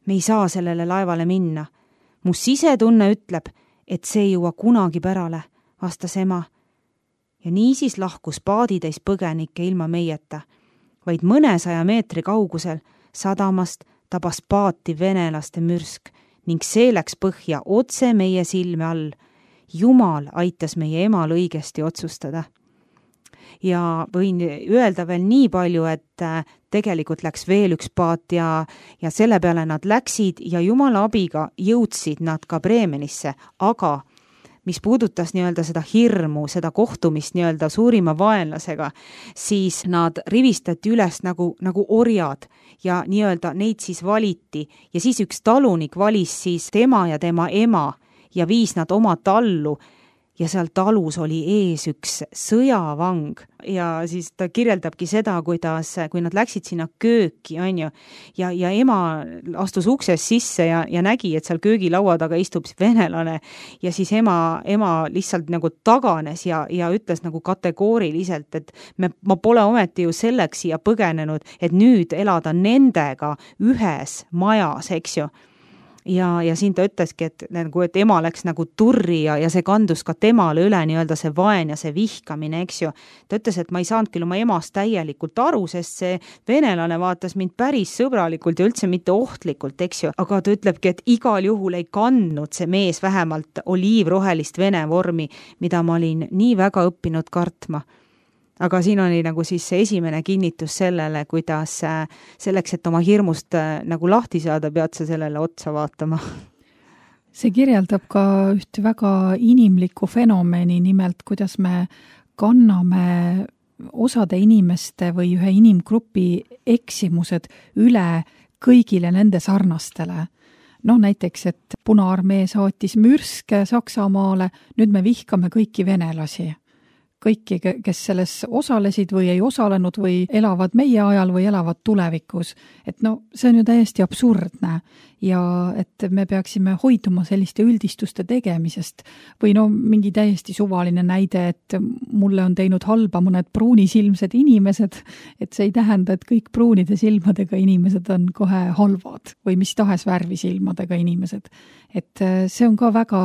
Me ei saa sellele laevale minna. Mu sisetunne ütleb, et see ei jõua kunagi pärale, vastas ema. Ja niisiis lahkus paaditäis põgenikke ilma meieta. Vaid mõnesaja meetri kaugusel sadamast tabas paati venelaste mürsk ning see läks põhja otse meie silme all. Jumal aitas meie emal õigesti otsustada. Ja võin öelda veel nii palju, et tegelikult läks veel üks paat ja selle peale nad läksid ja Jumala abiga jõudsid nad ka Bremenisse, aga mis puudutas nii-öelda seda hirmu, seda kohtumist nii-öelda suurima vaenlasega, siis nad rivistati üles nagu orjad ja nii-öelda neid siis valiti ja siis üks talunik valis siis tema ja tema ema ja viis nad oma tallu ja seal talus oli ees üks sõjavang ja siis ta kirjeldabki seda, kuidas, kui nad läksid sinna kööki, ja ema astus uksest sisse ja nägi, et seal köögilaua taga istub venelane ja siis ema lihtsalt nagu taganes ja ütles nagu kategooriliselt, et ma pole ometi ju selleks siia põgenenud, et nüüd elada nendega ühes majas, eks ju. Ja siin ta ütleski, et ema läks nagu turri ja see kandus ka temale üle nii-öelda see vaen ja see vihkamine, eks ju. Ta ütles, et ma ei saanud küll oma emast täielikult aru, sest see venelane vaatas mind päris sõbralikult ja üldse mitte ohtlikult, eks ju. Aga ta ütlebki, et igal juhul ei kandnud see mees vähemalt oliivrohelist vene vormi, mida ma olin nii väga õppinud kartma. Aga siin oli nagu siis see esimene kinnitus sellele, kuidas selleks, et oma hirmust nagu lahti saada, pead sa sellele otsa vaatama. See kirjeldab ka ühte väga inimlikku fenomeni, nimelt kuidas me kanname osade inimeste või ühe inimgrupi eksimused üle kõigile nende sarnastele. Näiteks, et Punaarmee saatis mürske Saksamaale, nüüd me vihkame kõiki venelasi. Kõiki, kes selles osalesid või ei osalenud või elavad meie ajal või elavad tulevikus. Et see on ju täiesti absurdne ja et me peaksime hoiduma selliste üldistuste tegemisest või mingi täiesti suvaline näide, et mulle on teinud halba mõned pruunisilmsed inimesed, et see ei tähenda, et kõik pruunide silmadega inimesed on kohe halvad või mis tahes värvisilmadega inimesed. Et see on ka väga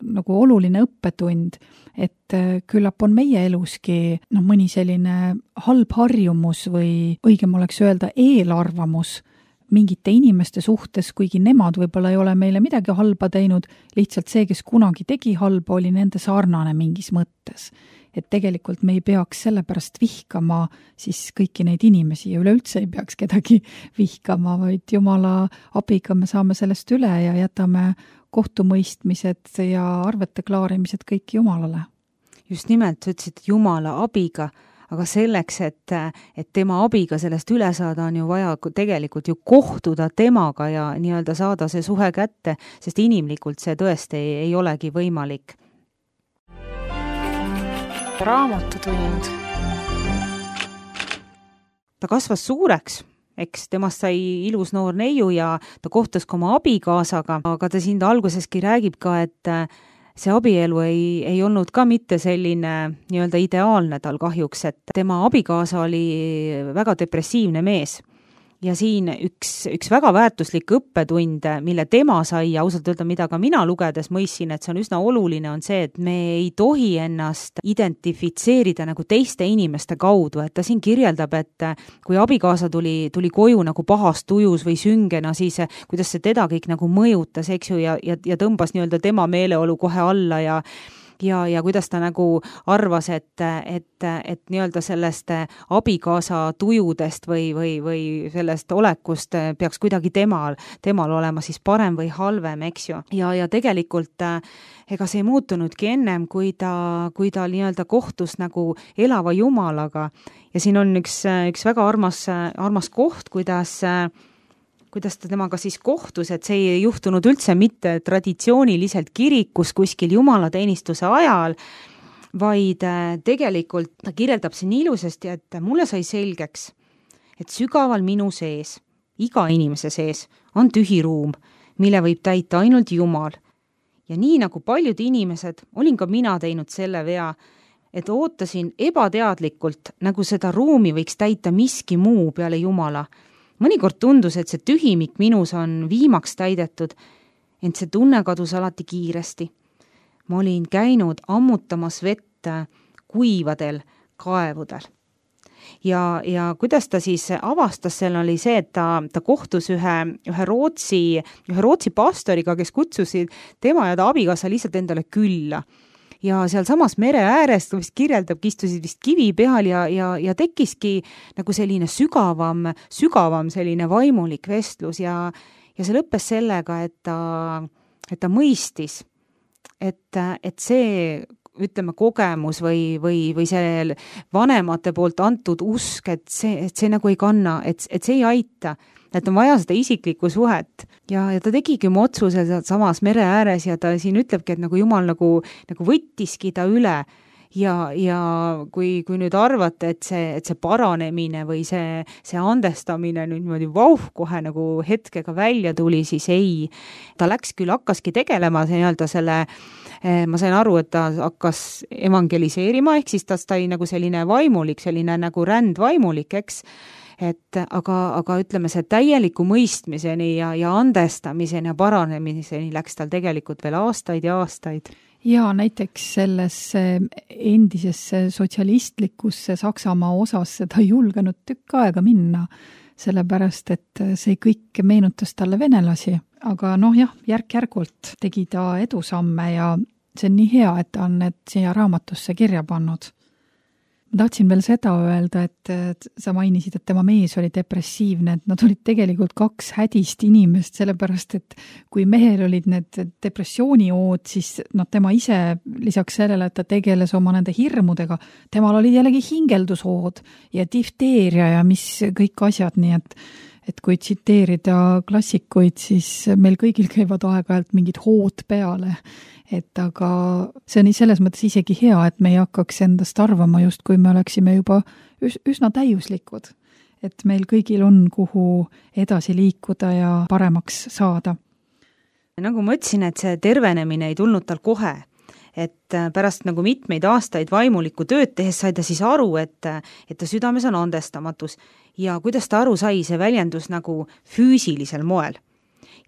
nagu oluline õppetund, et küllap on meie eluski mõni selline halb harjumus või õigem oleks öelda eelarvamus mingite inimeste suhtes, kuigi nemad võib-olla ei ole meile midagi halba teinud, lihtsalt see, kes kunagi tegi halba, oli nende sarnane mingis mõttes. Et tegelikult me ei peaks sellepärast vihkama siis kõiki neid inimesi ja üleüldse ei peaks kedagi vihkama, vaid Jumala abiga me saame sellest üle ja jätame kohtumõistmised ja arvete klaarimised kõik Jumalale. Just nimelt, sa ütlesid Jumala abiga, aga selleks, et tema abiga sellest üle saada, on ju vaja tegelikult ju kohtuda temaga ja nii-öelda saada see suhe kätte, sest inimlikult see tõesti ei olegi võimalik. Raamatutund. Ta kasvas suureks, eks temast sai ilus noor neiu ja ta kohtus ka oma abikaasaga, aga ta siin alguseski räägib ka, et see abielu ei olnud ka mitte selline nii-öelda ideaalne tal kahjuks, et tema abikaasa oli väga depressiivne mees. Ja siin üks väga väärtuslik õppetund, mille tema sai ja ausalt öelda, mida ka mina lugedes mõistsin, et see on üsna oluline, on see, et me ei tohi ennast identifitseerida nagu teiste inimeste kaudu, et ta siin kirjeldab, et kui abikaasa tuli koju nagu pahast tujus või süngena, siis kuidas see teda kõik nagu mõjutas, eks ju, ja tõmbas nii-öelda tema meeleolu kohe alla ja kuidas ta nagu arvas, et nii-öelda sellest abikaasa tujudest või sellest olekust peaks kuidagi temal olema siis parem või halvem, eks ju. Ja tegelikult ega see ei muutunudki ennem, kui ta nii-öelda kohtus nagu elava Jumalaga. Ja siin on üks väga armas koht, kuidas ta temaga siis kohtus, et see ei juhtunud üldse mitte traditsiooniliselt kirikus kuskil jumalateenistuse ajal, vaid tegelikult ta kirjeldab siin ilusasti, et mulle sai selgeks, et sügaval minu sees, iga inimese sees on tühi ruum, mille võib täita ainult Jumal. Ja nii nagu paljud inimesed, olin ka mina teinud selle vea, et ootasin ebateadlikult, nagu seda ruumi võiks täita miski muu peale Jumala. Mõnikord tundus, et see tühimik minus on viimaks täidetud, ent see tunne kadus alati kiiresti. Ma olin käinud ammutamas vett kuivadel kaevudel. Ja kuidas ta siis avastas, seal oli see, et ta kohtus ühe Rootsi pastoriga, kes kutsusid tema ja ta abikaasa lihtsalt endale külla. Ja seal samas mere äärest, vist kirjeldabki, istusid vist kivi peal ja tekkiski nagu selline sügavam selline vaimulik vestlus ja see lõppes sellega, et ta mõistis, et see, ütleme, kogemus või see vanemate poolt antud usk, et see nagu ei kanna, et see ei aita, et on vaja seda isiklikku suhet. Ja ta tegigi oma otsuse samas mere ääres ja ta siin ütlebki, et nagu Jumal nagu võttiski ta üle ja kui nüüd arvate, et see paranemine või see andestamine nüüd niimoodi kohe nagu hetkega välja tuli, siis ei. Ta hakkaski tegelema nii-öelda selle, ma sain aru, et ta hakkas evangeliseerima, ehk siis ta oli nagu selline vaimulik, selline nagu rändvaimulik, eks. Aga ütleme, see täieliku mõistmiseni ja andestamiseni ja paranemiseni läks tal tegelikult veel aastaid ja aastaid. Ja näiteks selles endisesse sotsialistlikusse Saksamaa osas ta ei julgenud tükk aega minna, sellepärast et see kõik meenutas talle venelasi. Aga järk-järgult tegi ta edusamme ja see on nii hea, et ta on need siia raamatusse kirja pannud. Ma tahtsin veel seda öelda, et sa mainisid, et tema mees oli depressiivne, et nad olid tegelikult kaks hädist inimest, sellepärast et kui mehel olid need depressiooniood, siis tema ise lisaks sellele, et ta tegeles oma nende hirmudega, temal olid jällegi hingeldusood ja difteeria ja mis kõik asjad, nii et kui tsiteerida klassikuid, siis meil kõigil käivad aeg-ajalt mingid hood peale. Aga see on selles mõttes isegi hea, et me ei hakkaks endast arvama just, kui me oleksime juba üsna täiuslikud. Et meil kõigil on kuhu edasi liikuda ja paremaks saada. Nagu ma ütlesin, et see tervenemine ei tulnud tal kohe. Et pärast nagu mitmeid aastaid vaimulikku tööd tehes sai ta siis aru, et ta südames on andestamatus ja kuidas ta aru sai, see väljendus nagu füüsilisel moel.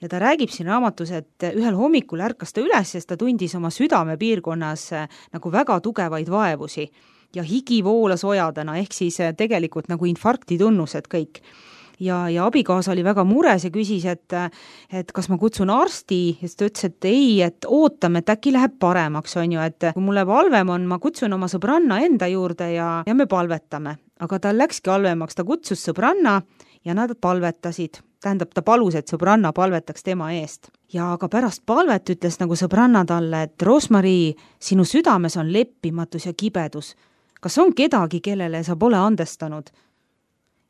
Ja ta räägib siin raamatus, et ühel hommikul ärkas ta üles, sest ta tundis oma südamepiirkonnas nagu väga tugevaid vaevusi ja higi voolas ojadena, ehk siis tegelikult nagu infarkti tunnused kõik. Ja abikaasa oli väga mures ja küsis, et kas ma kutsun arsti, ja ta ütles, et ei, et ootame, et äkki läheb paremaks, on ju, et kui mulle halvem on, ma kutsun oma sõbranna enda juurde ja me palvetame. Aga tal läkski halvemaks, ta kutsus sõbranna ja nad palvetasid. Tähendab, ta palus, et sõbranna palvetaks tema eest. Ja aga pärast palvet ütles nagu sõbranna talle, et Rosmarie, sinu südames on leppimatus ja kibedus. Kas on kedagi, kellele sa pole andestanud?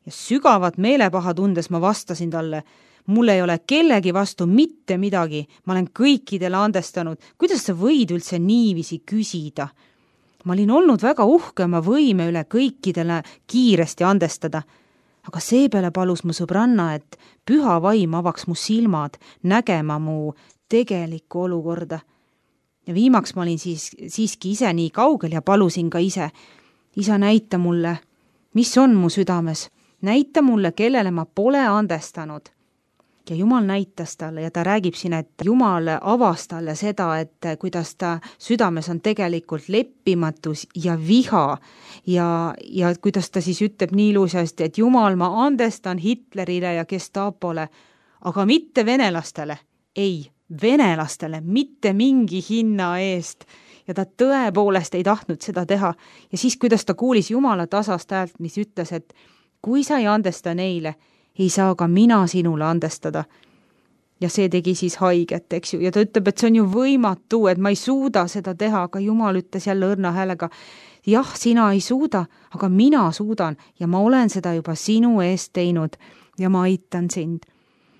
Ja sügavat meelepaha tundes ma vastasin talle, mul ei ole kellegi vastu mitte midagi, ma olen kõikidele andestanud. Kuidas sa võid üldse niiviisi küsida? Ma olin olnud väga uhke oma võime üle kõikidele kiiresti andestada. Aga seepeale palus mu sõbranna, et püha vaim avaks mu silmad, nägema mu tegelikku olukorda. Ja viimaks ma olin siiski ise nii kaugel ja palusin ka ise. Isa, näita mulle, mis on mu südames. Näita mulle, kellele ma pole andestanud. Ja Jumal näitas talle ja ta räägib siin, et Jumal avas talle seda, et kuidas ta südames on tegelikult leppimatus ja viha ja kuidas ta siis ütleb nii ilusasti, et Jumal, ma andestan Hitlerile ja Gestapole, aga mitte venelastele. Ei, venelastele, mitte mingi hinna eest. ja ta tõepoolest ei tahtnud seda teha. Ja siis, kuidas ta kuulis Jumala tasast häält, mis ütles, et kui sa ei andesta neile, ei saa ka mina sinule andestada. Ja see tegi siis haiget, eks ju, ja ta ütleb, et see on ju võimatu, et ma ei suuda seda teha, aga Jumal ütles jälle õrna häälega, jah, sina ei suuda, aga mina suudan ja ma olen seda juba sinu eest teinud ja ma aitan sind.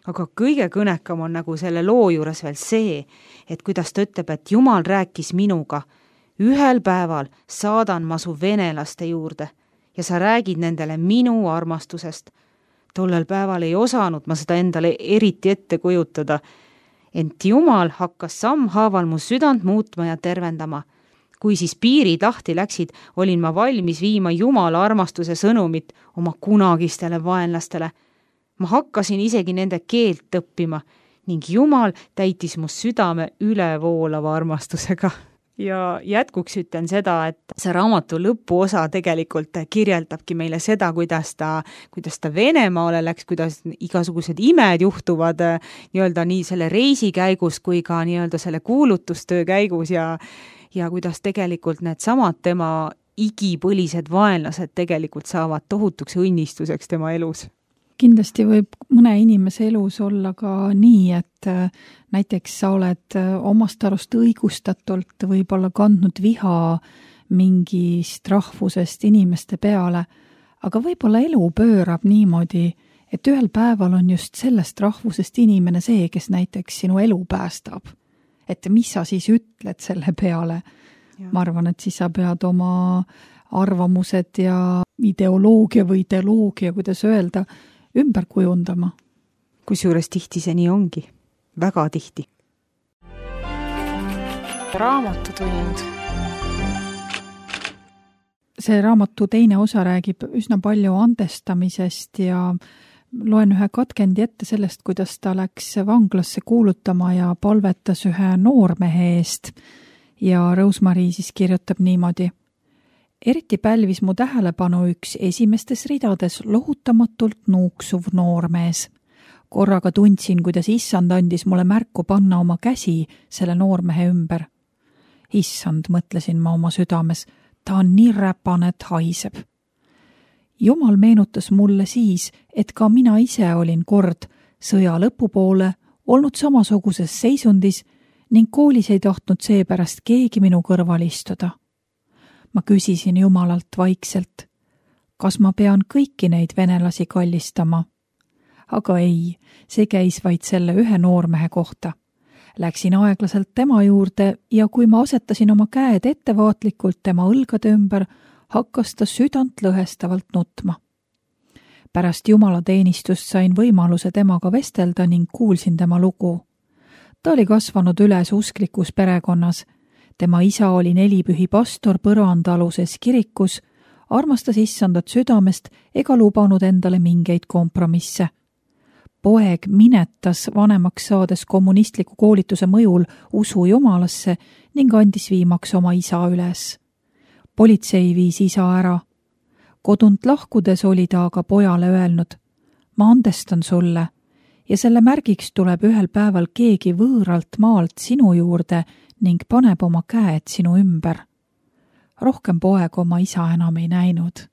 Aga kõige kõnekam on nagu selle loo juures veel see, et kuidas ta ütleb, et Jumal rääkis minuga, ühel päeval saadan ma su venelaste juurde ja sa räägid nendele minu armastusest. Tollel päeval ei osanud ma seda endale eriti ette kujutada. Ent Jumal hakkas sammhaaval mu südant muutma ja tervendama. Kui siis piirid lahti läksid, olin ma valmis viima Jumala armastuse sõnumit oma kunagistele vaenlastele. Ma hakkasin isegi nende keelt õppima ning Jumal täitis mu südame ülevoolava armastusega. Ja jätkuks ütlen seda, et see raamatu lõpuosa tegelikult kirjeldabki meile seda, kuidas ta Venemaale läks, kuidas igasugused imed juhtuvad nii-öelda nii selle reisi käigus kui ka nii-öelda selle kuulutustöö käigus ja kuidas tegelikult need samad tema igipõlised vaenlased tegelikult saavad tohutuks õnnistuseks tema elus. Kindlasti võib mõne inimese elus olla ka nii, et näiteks sa oled omast arust õigustatult võib-olla kandnud viha mingist rahvusest inimeste peale, aga võib-olla elu pöörab niimoodi, et ühel päeval on just sellest rahvusest inimene see, kes näiteks sinu elu päästab. Et mis sa siis ütled selle peale? Ja. Ma arvan, et siis sa pead oma arvamused ja ideoloogia, kuidas öelda, ümber kujundama. Kusjuures tihti see nii ongi. Väga tihti. Raamatutund. See raamatu teine osa räägib üsna palju andestamisest ja loen ühe katkendi ette sellest, kuidas ta läks vanglasse kuulutama ja palvetas ühe noormehe eest. Ja Rosemary siis kirjutab niimoodi. Eriti pälvis mu tähelepanu üks esimestes ridades lohutamatult nuuksuv noormees. Korraga tundsin, kuidas issand andis mulle märku panna oma käsi selle noormehe ümber. Issand, mõtlesin ma oma südames, ta on nii räpane, et haiseb. Jumal meenutas mulle siis, et ka mina ise olin kord sõja lõpupoole olnud samasuguses seisundis ning koolis ei tahtnud seepärast keegi minu kõrval istuda. Ma küsisin Jumalalt vaikselt, kas ma pean kõiki neid venelasi kallistama? Aga ei, see käis vaid selle ühe noormehe kohta. Läksin aeglaselt tema juurde ja kui ma asetasin oma käed ettevaatlikult tema õlgade ümber, hakkas ta südant lõhestavalt nutma. Pärast Jumala teenistust sain võimaluse temaga vestelda ning kuulsin tema lugu. Ta oli kasvanud üles usklikus perekonnas. Tema isa oli nelipühi pastor põrandaluses kirikus, armastas issandat südamest ega lubanud endale mingeid kompromisse. Poeg minetas vanemaks saades kommunistliku koolituse mõjul usu Jumalasse ning andis viimaks oma isa üles. Politsei viis isa ära. Kodunt lahkudes oli ta aga pojale öelnud, ma andestan sulle ja selle märgiks tuleb ühel päeval keegi võõralt maalt sinu juurde ning paneb oma käed sinu ümber. Rohkem poeg oma isa enam ei näinud.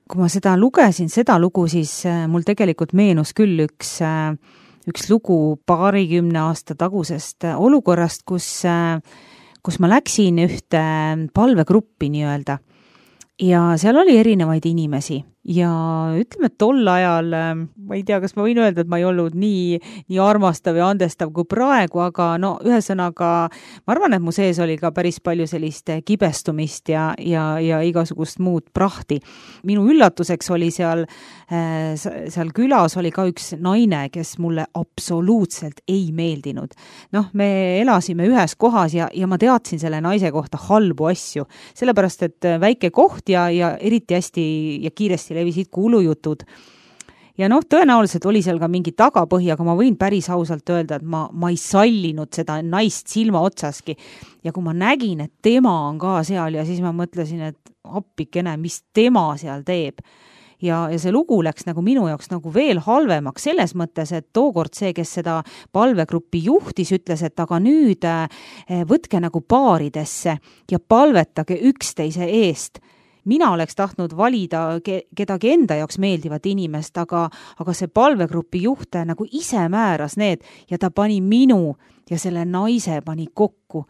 Kui ma seda lugu, siis mul tegelikult meenus küll üks lugu 20 aasta tagusest olukorrast, kus ma läksin ühte palvegruppi nii-öelda ja seal oli erinevaid inimesi. Ja ütleme, et tol ajal, ma ei tea, kas ma võin öelda, et ma ei olnud nii armastav ja andestav kui praegu, aga ühesõnaga, ma arvan, et mu sees oli ka päris palju sellist kibestumist ja igasugust muud prahti. Minu üllatuseks oli seal külas oli ka üks naine, kes mulle absoluutselt ei meeldinud. Me elasime ühes kohas ja ma teadsin selle naise kohta halbu asju, sellepärast, et väike koht ja eriti hästi ja kiiresti levisid kuulujutud. Ja tõenäoliselt oli seal ka mingi tagapõhi, aga ma võin päris ausalt öelda, et ma ei sallinud seda naist silma otsaski. Ja kui ma nägin, et tema on ka seal ja siis ma mõtlesin, et appikene, mis tema seal teeb. ja see lugu läks nagu minu jaoks nagu veel halvemaks selles mõttes, et tookord see, kes seda palvegruppi juhtis, ütles, et aga nüüd võtke nagu paaridesse ja palvetage üksteise eest. Mina oleks tahtnud valida kedagi enda jaoks meeldivat inimest, aga see palvegrupi juht nagu ise määras need ja ta pani minu ja selle naise pani kokku.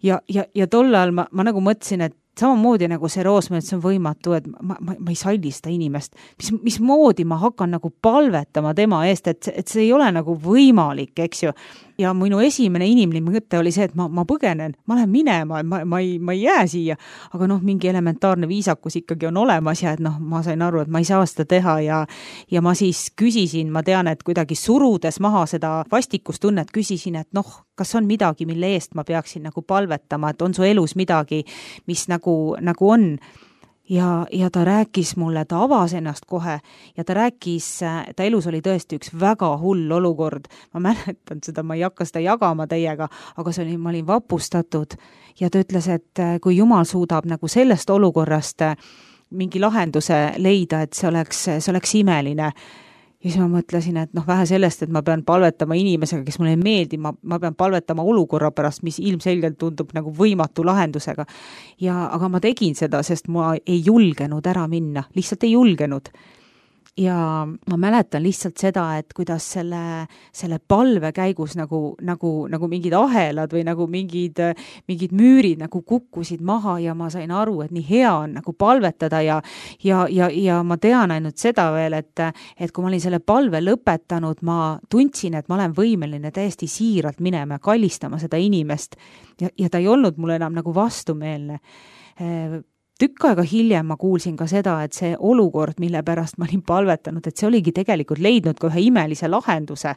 Ja tol ajal ma nagu mõtlesin, et samamoodi nagu see Roosmäe, et see on võimatu, et ma ei salli seda inimest. Mismoodi ma hakkan nagu palvetama tema eest, et see ei ole nagu võimalik, eks ju. Ja minu esimene inimlik mõte oli see, et ma põgenen, ma lähen minema, ma ei jää siia, aga mingi elementaarne viisakus ikkagi on olemas ja et ma sain aru, et ma ei saa seda teha ja ma siis küsisin, ma tean, et kuidagi surudes maha seda vastikustunnet, küsisin, et kas on midagi, mille eest ma peaksin nagu palvetama, et on su elus midagi, mis nagu on. Ja ta rääkis mulle, ta avas ennast kohe ja ta rääkis, ta elus oli tõesti üks väga hull olukord. Ma mäletan seda, ma ei hakka seda jagama teiega, aga ma olin vapustatud ja ta ütles, et kui Jumal suudab nagu sellest olukorrast mingi lahenduse leida, et see oleks imeline. Ja siis ma mõtlesin, et vähe sellest, et ma pean palvetama inimesega, kes mulle ei meeldi, ma pean palvetama olukorra pärast, mis ilmselgelt tundub nagu võimatu lahendusega. Aga ma tegin seda, sest ma ei julgenud ära minna, lihtsalt ei julgenud. Ja ma mäletan lihtsalt seda, et kuidas selle palve käigus nagu mingid ahelad või nagu mingid müürid nagu kukkusid maha ja ma sain aru, et nii hea on nagu palvetada ja ma tean ainult seda veel, et kui ma olin selle palve lõpetanud, ma tundsin, et ma olen võimeline täiesti siiralt minema ja kallistama seda inimest ja ta ei olnud mulle enam nagu vastumeelne. Tükk aega hiljem ma kuulsin ka seda, et see olukord, mille pärast ma olin palvetanud, et see oligi tegelikult leidnud ka ühe imelise lahenduse.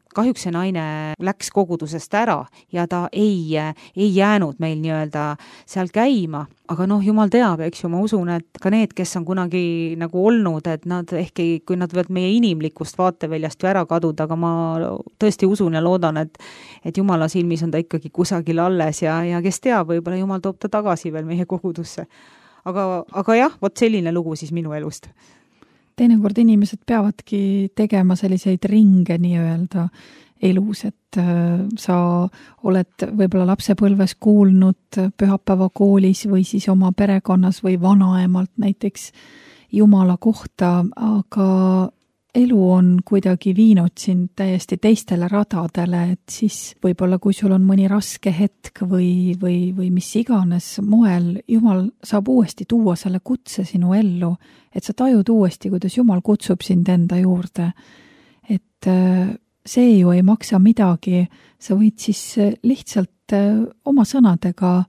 Kahjuks see naine läks kogudusest ära ja ta ei jäänud meil nii-öelda seal käima. Aga Jumal teab, eks ju, ma usun, et ka need, kes on kunagi nagu olnud, et nad ehkki, kui nad võivad meie inimlikust vaateväljast ju ära kaduda, aga ma tõesti usun ja loodan, et Jumala silmis on ta ikkagi kusagil alles ja kes teab, võib-olla Jumal toob ta tagasi veel meie kogudusse. Aga jah, vot selline lugu siis minu elust. Teinekord inimesed peavadki tegema selliseid ringe nii-öelda elus, et sa oled võib-olla lapsepõlves kuulnud pühapäeva koolis või siis oma perekonnas või vanaemalt näiteks Jumala kohta, aga elu on kuidagi viinud sind täiesti teistele radadele, et siis võib-olla kui sul on mõni raske hetk või mis iganes moel, Jumal saab uuesti tuua selle kutse sinu ellu, et sa tajud uuesti, kuidas Jumal kutsub sind enda juurde. Et see ju ei maksa midagi, sa võid siis lihtsalt oma sõnadega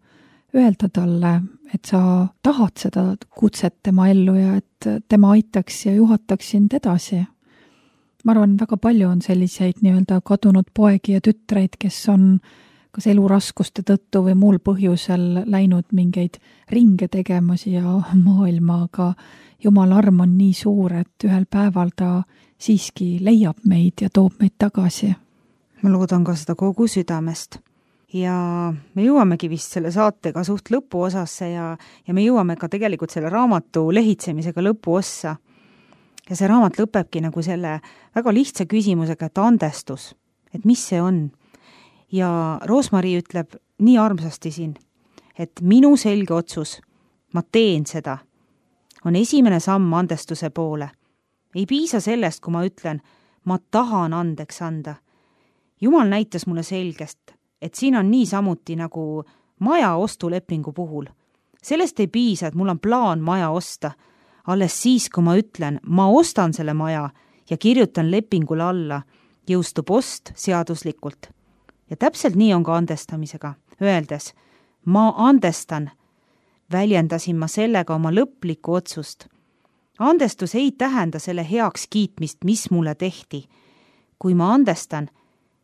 öelda talle, et sa tahad seda kutset tema ellu ja et tema aitaks ja juhataks sind edasi. Ma arvan, väga palju on selliseid nii-öelda kadunud poegi ja tütreid, kes on kas eluraskuste tõttu või muul põhjusel läinud mingeid ringe tegema siia maailma, aga Jumal arm on nii suur, et ühel päeval ta siiski leiab meid ja toob meid tagasi. Ma loodan ka seda kogu südamest. Ja me jõuamegi vist selle saatega suht lõpu osasse ja me jõuame ka tegelikult selle raamatu lehitsemisega lõpu ossa. Ja see raamat lõpebki nagu selle väga lihtsa küsimusega, et andestus, et mis see on. Ja Roosmari ütleb nii armsasti siin, et minu selge otsus, ma teen seda, on esimene samm andestuse poole. Ei piisa sellest, kui ma ütlen, ma tahan andeks anda. Jumal näitas mulle selgest, et siin on nii samuti nagu maja ostulepingu puhul. Sellest ei piisa, et mul on plaan maja osta. Alles siis, kui ma ütlen, ma ostan selle maja ja kirjutan lepingule alla, jõustub ost seaduslikult. Ja täpselt nii on ka andestamisega. Öeldes, ma andestan, väljendasin ma sellega oma lõplikku otsust. Andestus ei tähenda selle heaks kiitmist, mis mulle tehti. Kui ma andestan,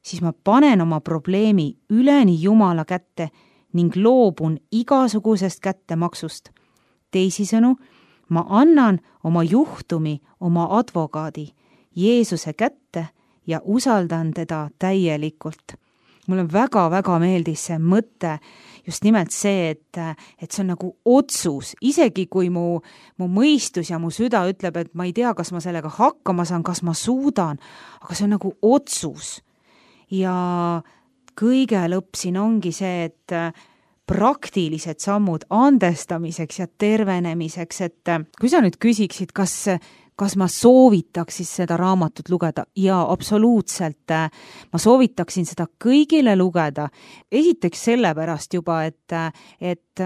siis ma panen oma probleemi üleni Jumala kätte ning loobun igasugusest kättemaksust. Teisisõnu, ma annan oma juhtumi oma advokaadi Jeesuse kätte ja usaldan teda täielikult. Mulle väga-väga meeldis see mõte just nimelt see, et see on nagu otsus, isegi kui mu mõistus ja mu süda ütleb, et ma ei tea, kas ma sellega hakkama saan, kas ma suudan, aga see on nagu otsus. Ja kõige lõpp siin ongi see, et praktilised sammud andestamiseks ja tervenemiseks, et kui sa nüüd küsiksid, kas ma soovitaksin seda raamatut lugeda? Ja absoluutselt ma soovitaksin seda kõigile lugeda. Esiteks sellepärast juba, et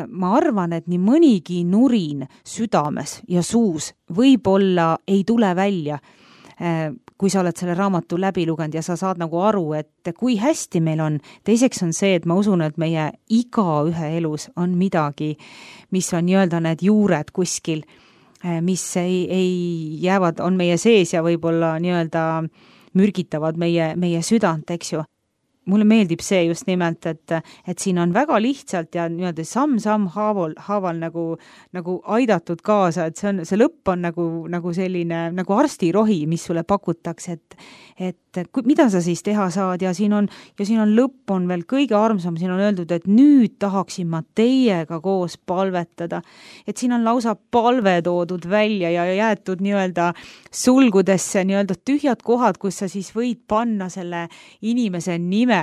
ma arvan, et nii mõnigi nurin südames ja suus võib-olla ei tule välja, kui sa oled selle raamatu läbi lugenud ja sa saad nagu aru, et kui hästi meil on. Teiseks on see, et ma usun, et meie igaühe elus on midagi, mis on nii-öelda need juured kuskil, mis ei jäävad, on meie sees ja võib-olla nii-öelda mürgitavad meie südant, eks ju. Mulle meeldib see just nimelt, et siin on väga lihtsalt ja nii-öelda samm haaval nagu aidatud kaasa, et see lõpp on nagu selline nagu arstirohi, mis sulle pakutakse, et mida sa siis teha saad ja siin on lõpp on veel kõige armsam, siin on öeldud, et nüüd tahaksin ma teiega koos palvetada, et siin on lausa palve toodud välja ja jäetud nii-öelda sulgudesse nii-öelda tühjad kohad, kus sa siis võid panna selle inimese nime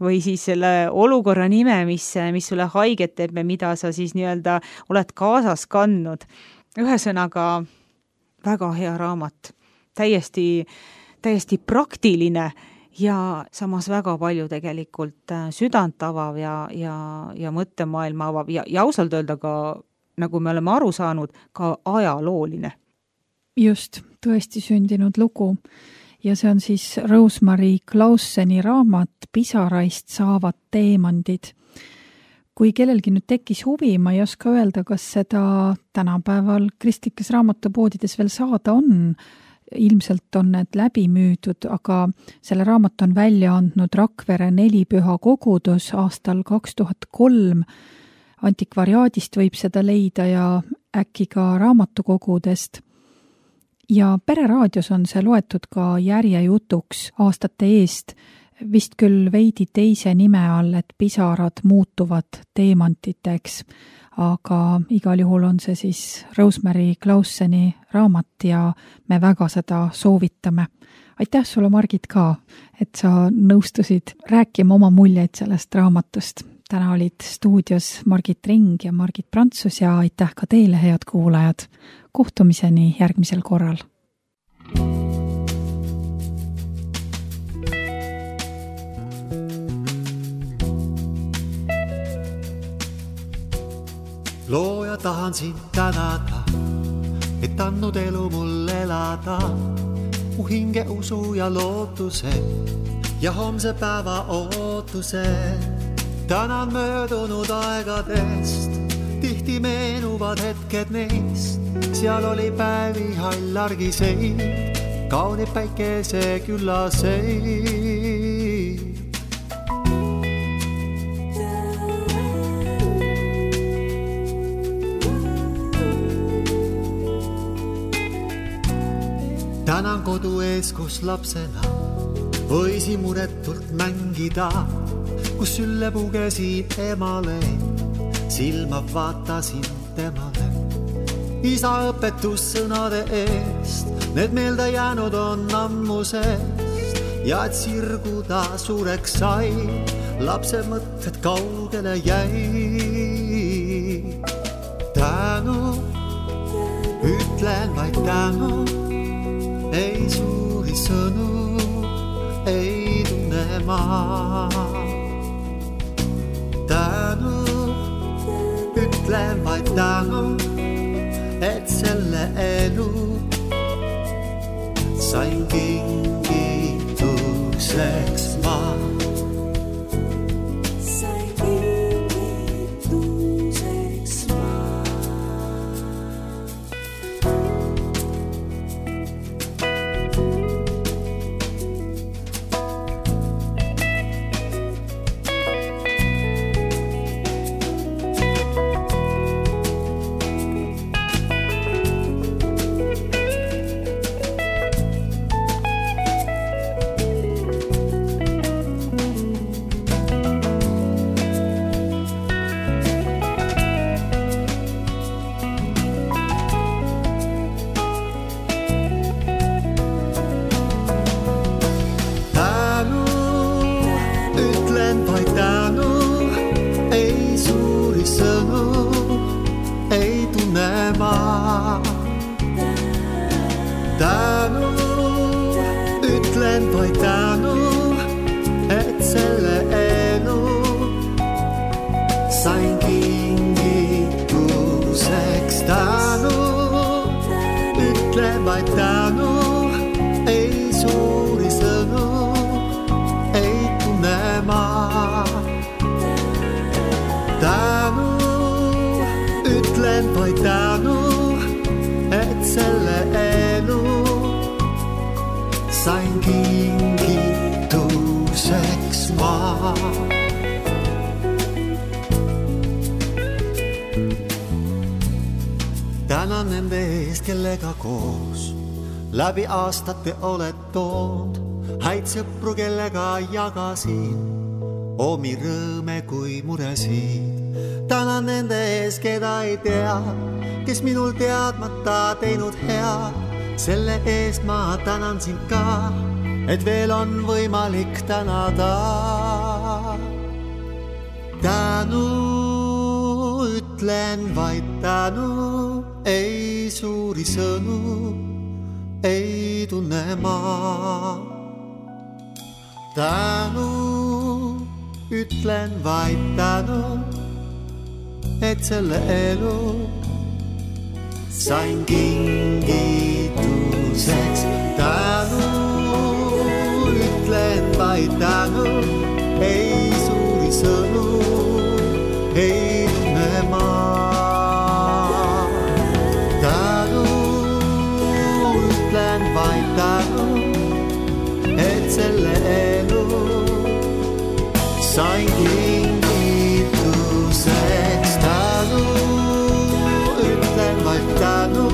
või siis selle olukorra nime, mis sulle haiget teeb ja mida sa siis nii-öelda oled kaasas kandnud. Ühesõnaga väga hea raamat, täiesti praktiline ja samas väga palju tegelikult südant avav ja mõttemaailma avav ja ausalt öelda ka, nagu me oleme aru saanud, ka ajalooline. Just, tõesti sündinud lugu. Ja see on siis Rose-Marie Clauseni raamat Pisaraist saavad teemandid. Kui kellelgi nüüd tekkis huvi, ma ei oska öelda, kas seda tänapäeval kristlikes raamatupoodides veel saada on. Ilmselt on need läbi müüdud, aga selle raamat on välja andnud Rakvere Nelipüha kogudus aastal 2003. Antikvariaadist võib seda leida ja äkki ka raamatukogudest. Ja Pereraadios on see loetud ka järjejutuks aastate eest, vist küll veidi teise nime all, et pisarad muutuvad teemantiteks, aga igal juhul on see siis Rose-Marie Clauseni raamat ja me väga seda soovitame. Aitäh sulle, Margit, ka, et sa nõustusid rääkima oma muljeid sellest raamatust. Täna olid stuudios Margit Ring ja Margit Prantsus ja aitäh ka teile, head kuulajad. Kohtumiseni järgmisel korral. Looja tahan sind tänada, et andnud elu mul elada. Mu hinge usu ja lootuse ja homse päeva ootuse. Tänan möödunud aegadest, tihti meenuvad hetked neist. Seal oli päevi hall argiseid, kaunid päikese küllaseid. Tänan kodu ees, kus lapsena võisi muretult mängida, kus sülle pugesin emale, silma vaatasin temale. Isa õpetussõnade eest, need meelde jäänud on ammusest ja et sirguda suureks sai, lapse mõtted kaugele jäi. Tänu, ütlen vaid tänu, ei suuri sõnu, ei tunne ma. Tänu, ütlen vaid tänu, et selle elu sain kingituseks ma. tänu, ütlen vaid tänu, et selle elu sain kingituseks. Tänu, ütlen vaid tänu, ei suuri sõnu ei tunne ma. Tänu, ütlen vaid tänu, et selle elu sain kingituseks ma. Tänan nende eest, kellega koos läbi aastate oled tood, häid sõpru, kellega jagasin omi rõõme kui muresid. Tänan nende ees, keda ei tea, kes minul teadmata teinud head. Selle eest ma tänan sind ka, et veel on võimalik tänada. Tänu, ütlen vaid tänu, ei suuri sõnu ei tunne ma. Tänu, ütlen vaid tänu, et selle elu sain kingituseks. Tänu, ütlen vaid tänu, ei suuri sõnu ei tunne ma. Tänu, ütlen vaid tänu, et selle elu sain kingituseks. Tänu, ütlen vaid tänu,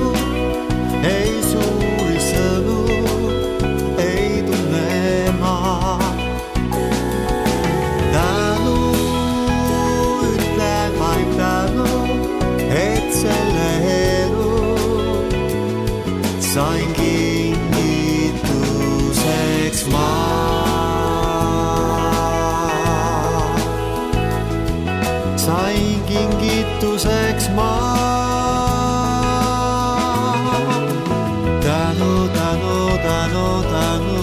ei suuri sõnu ei tunne ma. Tänu, ütlen vaid tänu, et selle elu sain kingituseks ma. Sain kingituseks ma. Tänu, tänu, tänu, tänu.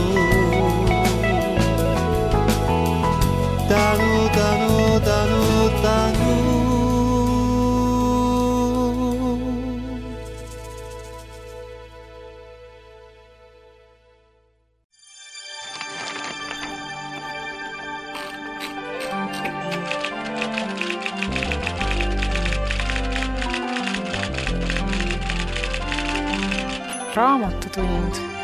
Tänu, tänu, tänu, tänu. Raamatutund